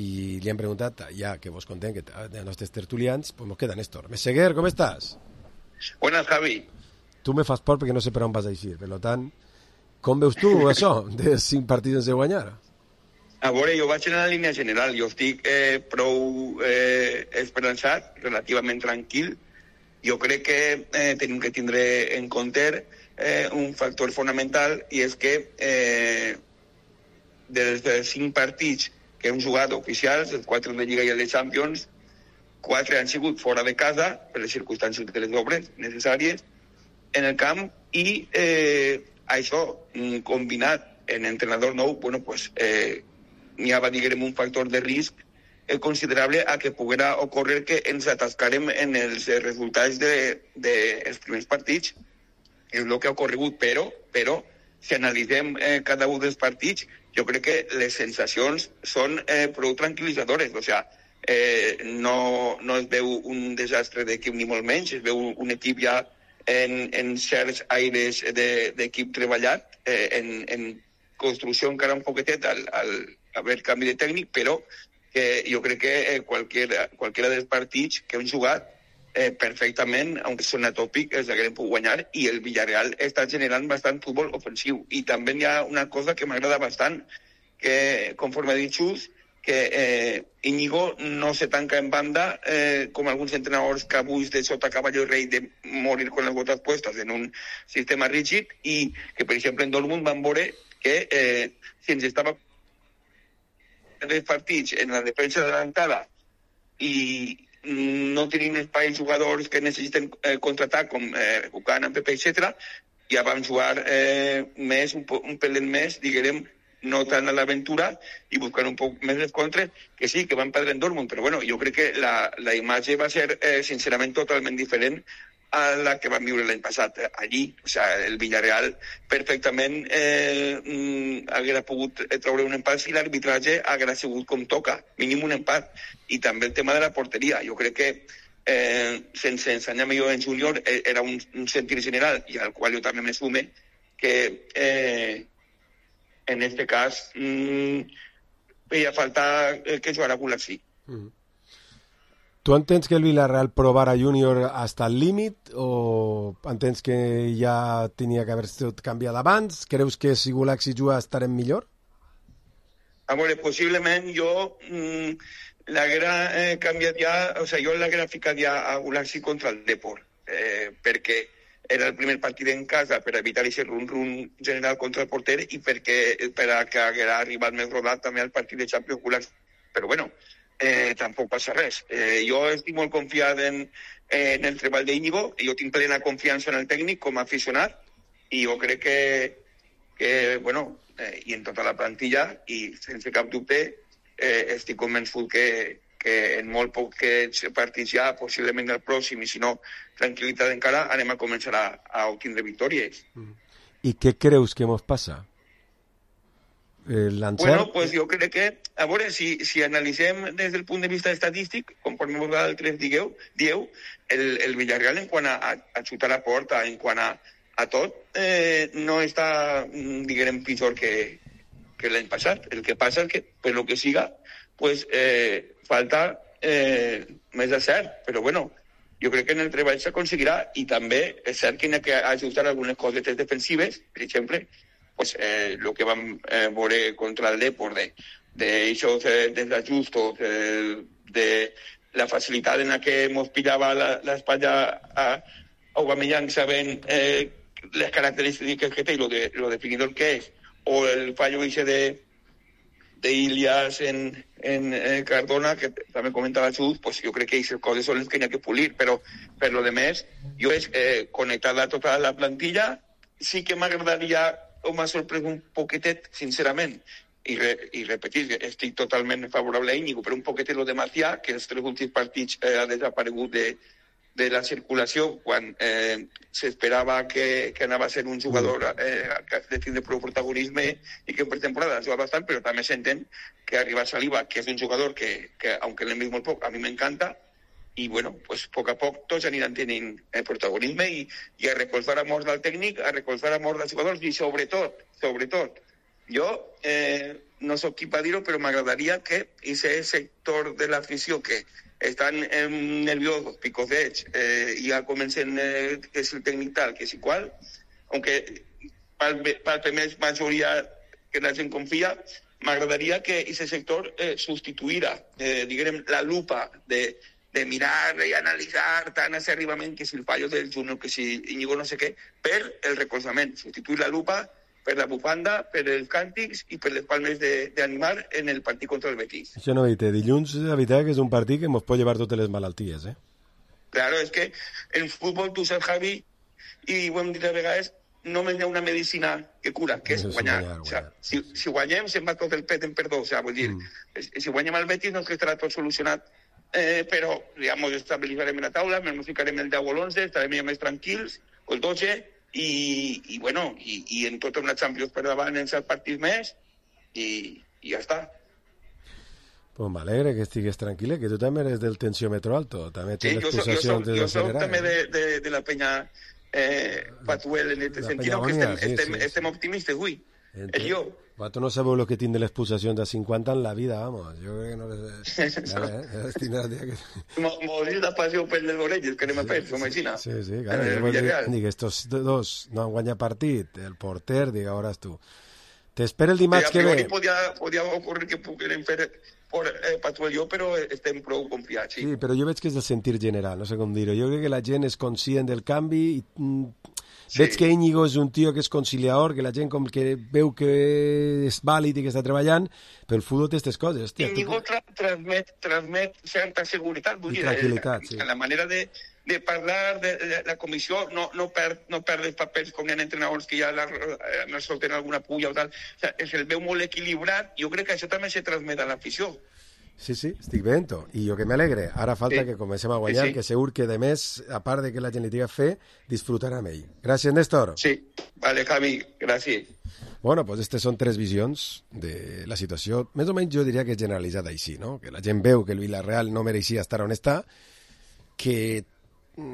B: I li hem preguntat, ja que vos contem que de nostres tertulians, pues nos queda Néstor. Meseguer, com estàs?
W: Buenas, Javi.
B: Tu me fas por perquè no sé per on vas a eixir, per tant, com veus tu això de 5 partits sense guanyar?
W: A veure, jo vaig en la línia general. Jo estic prou esperançat, relativament tranquil. Jo crec que tenim que tindre en compte un factor fonamental i és que dels 5 partits que hem jugat oficials, els 4 de Lliga i el de Champions, 4 han sigut fora de casa, per les circumstàncies de les obres necessàries, en el camp, i això, combinat en entrenador nou, bueno, pues, n'hi ha, diguem, un factor de risc considerable a que poguera ocórrer que ens atascarem en els resultats dels primers partits. És el que ha ocorregut, però si analitzem cada un dels partits, jo crec que les sensacions són prou tranquil·litzadores. O sigui, no es veu un desastre d'equip ni molt menys, es veu un equip ja en certs aires d'equip treballat, en construcció encara un poquetet al haver canvi de tècnic, però jo crec que qualsevol dels partits que hem jugat perfectament, aunque sona tòpic, els haguem pogut guanyar, i el Villarreal està generant bastant futbol ofensiu. I també hi ha una cosa que m'agrada bastant, que conforme ha dit Xus, que Íñigo no se tanca en banda com alguns entrenadors que avui de sota caballo rei de morir con las botas puestas en un sistema rígid, i que, per exemple, en Dortmund van veure que si ens estava els partits en la defensa adelantada i no tenint espai jugadors que necessiten contraatac com Buchanan, Pepe, etc., ja vam jugar més, un pelet més, diguem, no tant a l'aventura i buscant un poc més les contres, que sí, que van perdre en Dortmund, però bueno, jo crec que la imatge va ser sincerament totalment diferent a la que vam viure l'any passat allí. O sigui, el Villarreal perfectament haguera pogut treure un empat si l'arbitratge haguera sigut com toca, mínim un empat. I també el tema de la porteria. Jo crec que sense ensenyar millor en júnior era un sentir general, i al qual jo també me sume, que en este cas feia falta que jugara Gulaxi.
B: Tu entens que el Villarreal provara júnior hasta el límit o entens que ja tenia que haver estat canviat abans? Creus que si Gulaxi juga estarem millor?
W: A veure, possiblement jo l'haguera canviat ja, o sigui, jo l'haguera ficat ja a Gulaxi contra el Depor, perquè era el primer partit en casa per evitar aquest run-run general contra el porter i per a que haguera arribat més rodat també al partit de Champions Gulaxi. Però bueno, tampoc passa res. Jo estic molt confiat en el treball d'Íñigo, jo tinc plena confiança en el tècnic com a aficionat, i jo crec que bueno, i en tota la plantilla, i sense cap dubte, estic convençut que en molt pocs partits ja, possiblement el pròxim, i si no, tranquil·litat encara, anem a començar a obtindre victòries.
B: I què creus que ens passa? L'encert?
W: Bueno, pues jo crec que, a veure, si analitzem des del punt de vista estadístic, conforme vosaltres dieu, el Villarreal en quant a xutar a porta, en quant a tot, no està, diguem, pitjor que l'any passat. El que passa és que, per lo que siga, pues falta més de cert, però bueno, jo crec que en el treball s'aconseguirà, i també és cert que hi ha que ajustar algunes cosetes defensives, per exemple, pues el que vam veure contra el Depor, d'aixòs desajustos, de la facilitat en la que ens pillava l'espatlla a Aubameyang sabent les característiques que té i lo definidor que és, o el fallo ese de Ilias en Cardona, que també comentava Xus, pues jo crec que aquestes coses són les que hi ha que polir, però per lo demés, jo és connectar a tota la plantilla. Sí que m'agradaria, o m'ha sorprès un poquetet, sincerament, i repetir, estic totalment favorable a Íñigo, però un poquetet lo de Macià, que els 3 últims partits ha desaparegut de la circulació, quan s'esperava que anava a ser un jugador de tindre prou protagonisme i que per temporada ha jugat bastant, però també s'entén que arriba Saliba, que és un jugador que aunque l'hem vist molt poc, a mi m'encanta, i bueno, pues a poc a poc tots aniran tenint protagonisme i a recolzar a mort del tècnic, a recolzar a mort dels jugadors, i sobretot, jo no soc qui per dir-ho, però m'agradaria que aquest sector de l'afició que estan nerviosos, picosets, i ja comencen que és el tècnic tal, que és igual, aunque palpe més majoria que la gent confia, m'agradaria que aquest sector substituïra, diguem, la lupa de mirar i analitzar tan acerrivament que si el fallo del Junior, que si Íñigo no sé què, per el recolzament, substituir la lupa per la bufanda, per els càntics i per les palmes d'animar en el partit contra el Betis.
B: Això no, dilluns, la veritat que és un partit que ens pot llevar totes les malalties,
W: Claro, és que en futbol, tu saps, Javi, i ho hem dit a vegades, només hi ha una medicina que cura, que és guanyar. O sigui, si guanyem, se'n va tot el pet en perdó. O sigui, vull dir, si guanyem el Betis, no estarà tot solucionat, però ja ens estabilitzarem en la taula, ens ficarem el 10 o l'11, estarem ja més tranquils, o el 12, i bueno, i en tota una Champions per davant en 7 partits més, i ja està.
B: Pues m'alegre que estigues tranquil·le, que tu també eres del tensiòmetre alto, també tens possessions de
W: jo soc també de la penya Patuel en aquest sentit, que estem optimistes avui. És jo.
B: Tu no sabeu el que tinc de les possessions de 50 en la vida, vamos. Jo crec que no les...
W: Morir de passió per les orelles, que anem a fer, com aixina.
B: Sí, claro. Dic, estos dos no han guanyat partit, el porter, dic, ara tu. T'espera el dimarts que ve.
W: Podia ocórrer que puguem fer Patuel jo, però estem prou confiats.
B: Sí, però jo veig que és del sentir general, no sé com dir-ho. Jo crec que la gent és conscient del canvi i... Veig que Íñigo és un tio que és conciliador, que la gent com que veu que és vàlid i que està treballant, però el futbol té aquestes coses.
W: Íñigo transmet certa seguretat, vull dir,
B: tranquil·litat, sí.
W: La manera de parlar de la comissió no perd els papers com hi ha entrenadors que ja no solten alguna pulla o tal. O sigui, el veu molt equilibrat. Jo crec que això també se transmet a l'afició.
B: Sí, estic veient-ho. I jo que m'alegre. Ara falta que comencem a guanyar,
W: Sí.
B: que segur que, de més, a part de que la gent li diga fer, disfrutarà amb ell. Gràcies, Néstor.
W: Sí, vale, Javi, gràcies.
B: Bueno, pues aquestes són 3 visions de la situació. Més o menys jo diria que és generalitzada així, no? Que la gent veu que el Villarreal no mereixia estar on està, que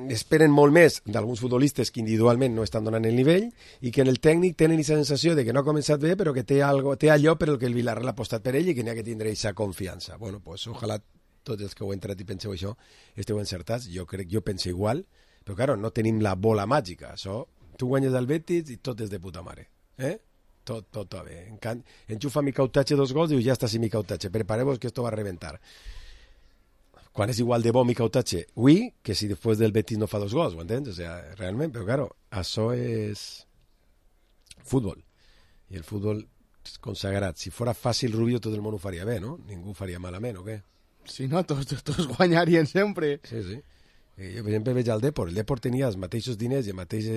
B: esperen molt més d'alguns futbolistes que individualment no estan donant el nivell i que en el tècnic tenen aquesta sensació de que no ha començat bé però que té allò per el que el Villarreal ha apostat per ell i que n'hi ha que tindre aquesta confiança. Bueno, pues ojalà tots els que heu entrat i penseu això esteu encertats. Jo penso igual, però claro, no tenim la bola màgica. Això, tu guanyes del Betis i tot és de puta mare. Tot va bé. Enxufa mi Cautache 2 gols i diu, ja està, sí, mi Cautache, prepareu-vos que esto va a reventar. Quan és igual de bo mi Cautache, avui, que si després del Betis no fa 2 gols, ho entens? O sea, realment, però claro, això és futbol. I el futbol és consagrat. Si fora fàcil, Rubio, tot el món ho faria bé, no? Ningú ho faria malament, o què?
C: Si no, tots guanyarien sempre.
B: Sí. Jo, per exemple, veig el Depor. El Depor tenia els mateixos diners i el mateix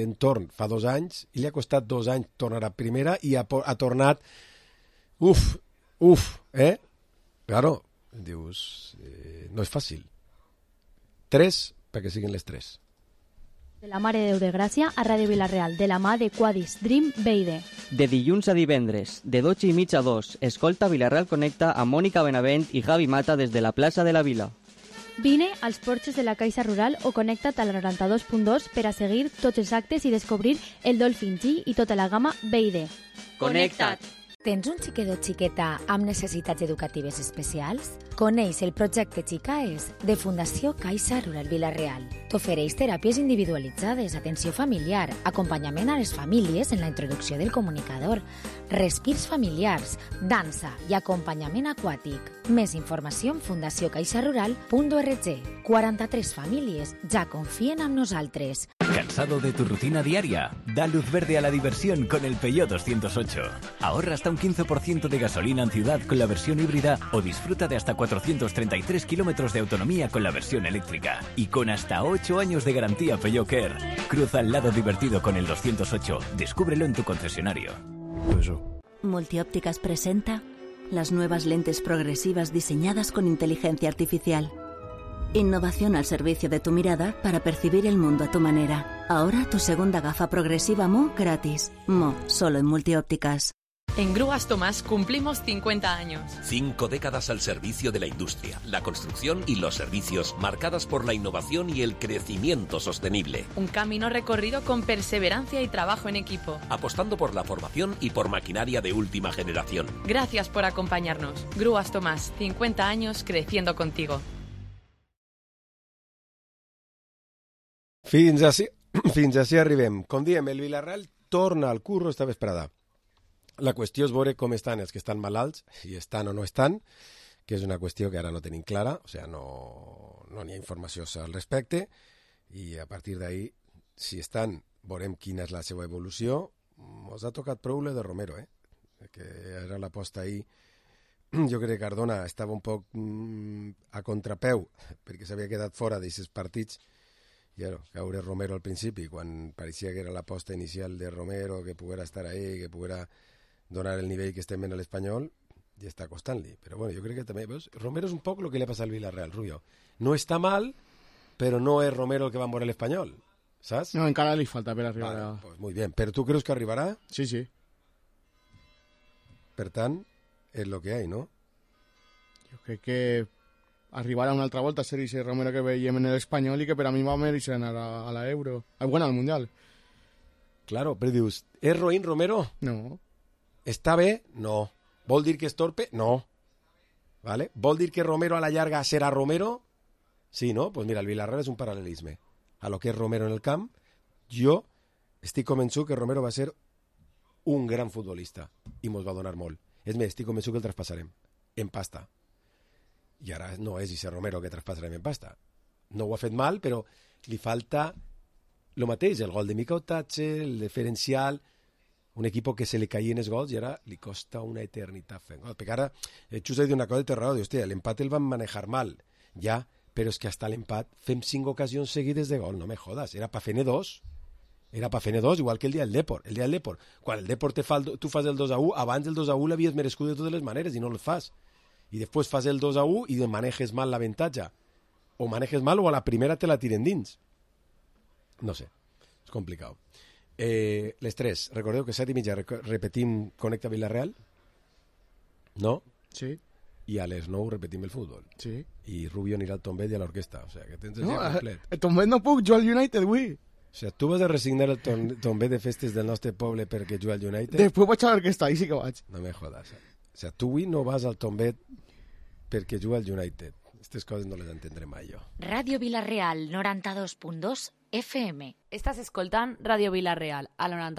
B: entorn fa 2 anys i li ha costat 2 anys tornar a primera i ha tornat... Claro, dius, no és fàcil. 3, perquè siguin les 3.
A: De la Mare de Déu de Gràcia a Ràdio Vilareal, de la mà de Quadis Dream Beide.
D: De dilluns a divendres, de 12:30 a 2, escolta Vilareal Connecta amb Mònica Benavent i Javi Mata des de la plaça de la Vila.
A: Vine als porxos de la Caixa Rural o connecta't a la 92.2 per a seguir tots els actes i descobrir el Dolphin G i tota la gamma Beide.
D: Connecta't!
R: Tens un xiquet o xiqueta amb necessitats educatives especials? Coneix el projecte Xicaes de Fundació Caixa Rural Vilareal. T'ofereix teràpies individualitzades, atenció familiar, acompanyament a les famílies en la introducció del comunicador, respirs familiars, dansa i acompanyament aquàtic. Més informació en fundaciocaixarural.org. 43 famílies ja confien en nosaltres.
E: ¿Cansado de tu rutina diaria? Da luz verde a la diversión con el Peugeot 208. Ahorra hasta un 15% de gasolina en ciudad con la versión híbrida o disfruta de hasta 433 kilómetros de autonomía con la versión eléctrica. Y con hasta 8 años de garantía Peugeot Care. Cruza al lado divertido con el 208. Descúbrelo en tu concesionario.
X: Multiópticas presenta las nuevas lentes progresivas diseñadas con inteligencia artificial. Innovación al servicio de tu mirada para percibir el mundo a tu manera. Ahora tu segunda gafa progresiva Mo gratis. Mo, solo en Multiópticas.
T: En Grúas Tomás cumplimos 50 años.
U: 5 décadas al servicio de la industria, la construcción y los servicios, marcadas por la innovación y el crecimiento sostenible.
T: Un camino recorrido con perseverancia y trabajo en equipo.
U: Apostando por la formación y por maquinaria de última generación.
T: Gracias por acompañarnos. Grúas Tomás, 50 años creciendo contigo.
B: Fins ací arribem. Com diem, el Villarreal torna al curro esta vesprada. La qüestió és veure com estan els que estan malalts, si estan o no estan, que és una qüestió que ara no tenim clara, o sigui, no n'hi ha informació al respecte, i a partir d'ahí, si estan, veurem quina és la seva evolució. Ens ha tocat prou de Romero, que era l'aposta ahir. Jo crec que Cardona estava un poc a contrapeu, perquè s'havia quedat fora d'aquests partits, i caure Romero al principi, quan pareixia que era l'aposta inicial de Romero, que poguera estar ahí, que poguera donar el nivell que estem en l'Espanyol, i està costant-li. Però bueno, jo crec que també, veus, Romero és un poc el que li ha passat al Villarreal, Rubio. No està mal, però no és Romero el que va moure l'Espanyol, saps?
C: No, encara li falta per arribar
B: a... Pues muy bien, però tu creus que arribarà?
C: Sí, sí.
B: Per tant, és el que hi ha, no?
C: Jo crec que arribarà una altra volta a ser ese Romero que veiem en l'Espanyol i que per a mi va mereixer anar a l'Euro. Bueno, al Mundial.
B: Claro, però dius, és roïn Romero?
C: No.
B: Està bé? No. Vol dir que és torpe? No. ¿Vale? Vol dir que Romero a la llarga serà Romero? Sí, no? Pues mira, el Villarreal és un paral·lelisme. A lo que és Romero en el camp, jo estic convençut que Romero va ser un gran futbolista i mos va donar molt. És més, estic convençut que el traspassarem en pasta. I ara no és ese Romero que traspassarem en pasta. No ho ha fet mal, però li falta el mateix, el gol de Mica Otache, el diferencial, un equip que se li caien els gols i ara li costa una eternitat fent gols. Perquè ara Xus ha dit una cosa de terror, diu, hòstia, l'empat el van manejar mal, ja, però és que hasta l'empat fem 5 ocasions seguides de gol, no me jodas, era pa fer-ne 2. Era pa fer-ne 2, igual que el dia del Depor. El dia del Depor, quan el Depor tu fas el 2-1, abans del 2-1 l'havies merescut de totes les maneres i no el fas. y después fas el 2-1 y manejes mal la ventaja. O manejes mal o a la primera te la tiren dins. No sé, és complicat. Les 3, recordeu que 7:30 repetim Connecta Villarreal, no?
C: Sí.
B: I a les 9 repetim el futbol.
C: Sí.
B: I Rubio anirà al Tombet i a l'orquestra, o sigui que tens el
C: No,
B: dia complet.
C: el Tombet no puc, jo al United avui.
B: O sigui, tu vas a resignar el Tombet de festes del nostre poble perquè juga al United?
C: Després vaig a l'orquestra, ahí sí que vaig.
B: No me jodas. O sigui, tu avui no vas al Tombet perquè juga al United. Estas coses no les entendré mai jo.
R: Radio Villarreal 92.2 FM.
F: Estàs escoltant Radio Villarreal, a 92.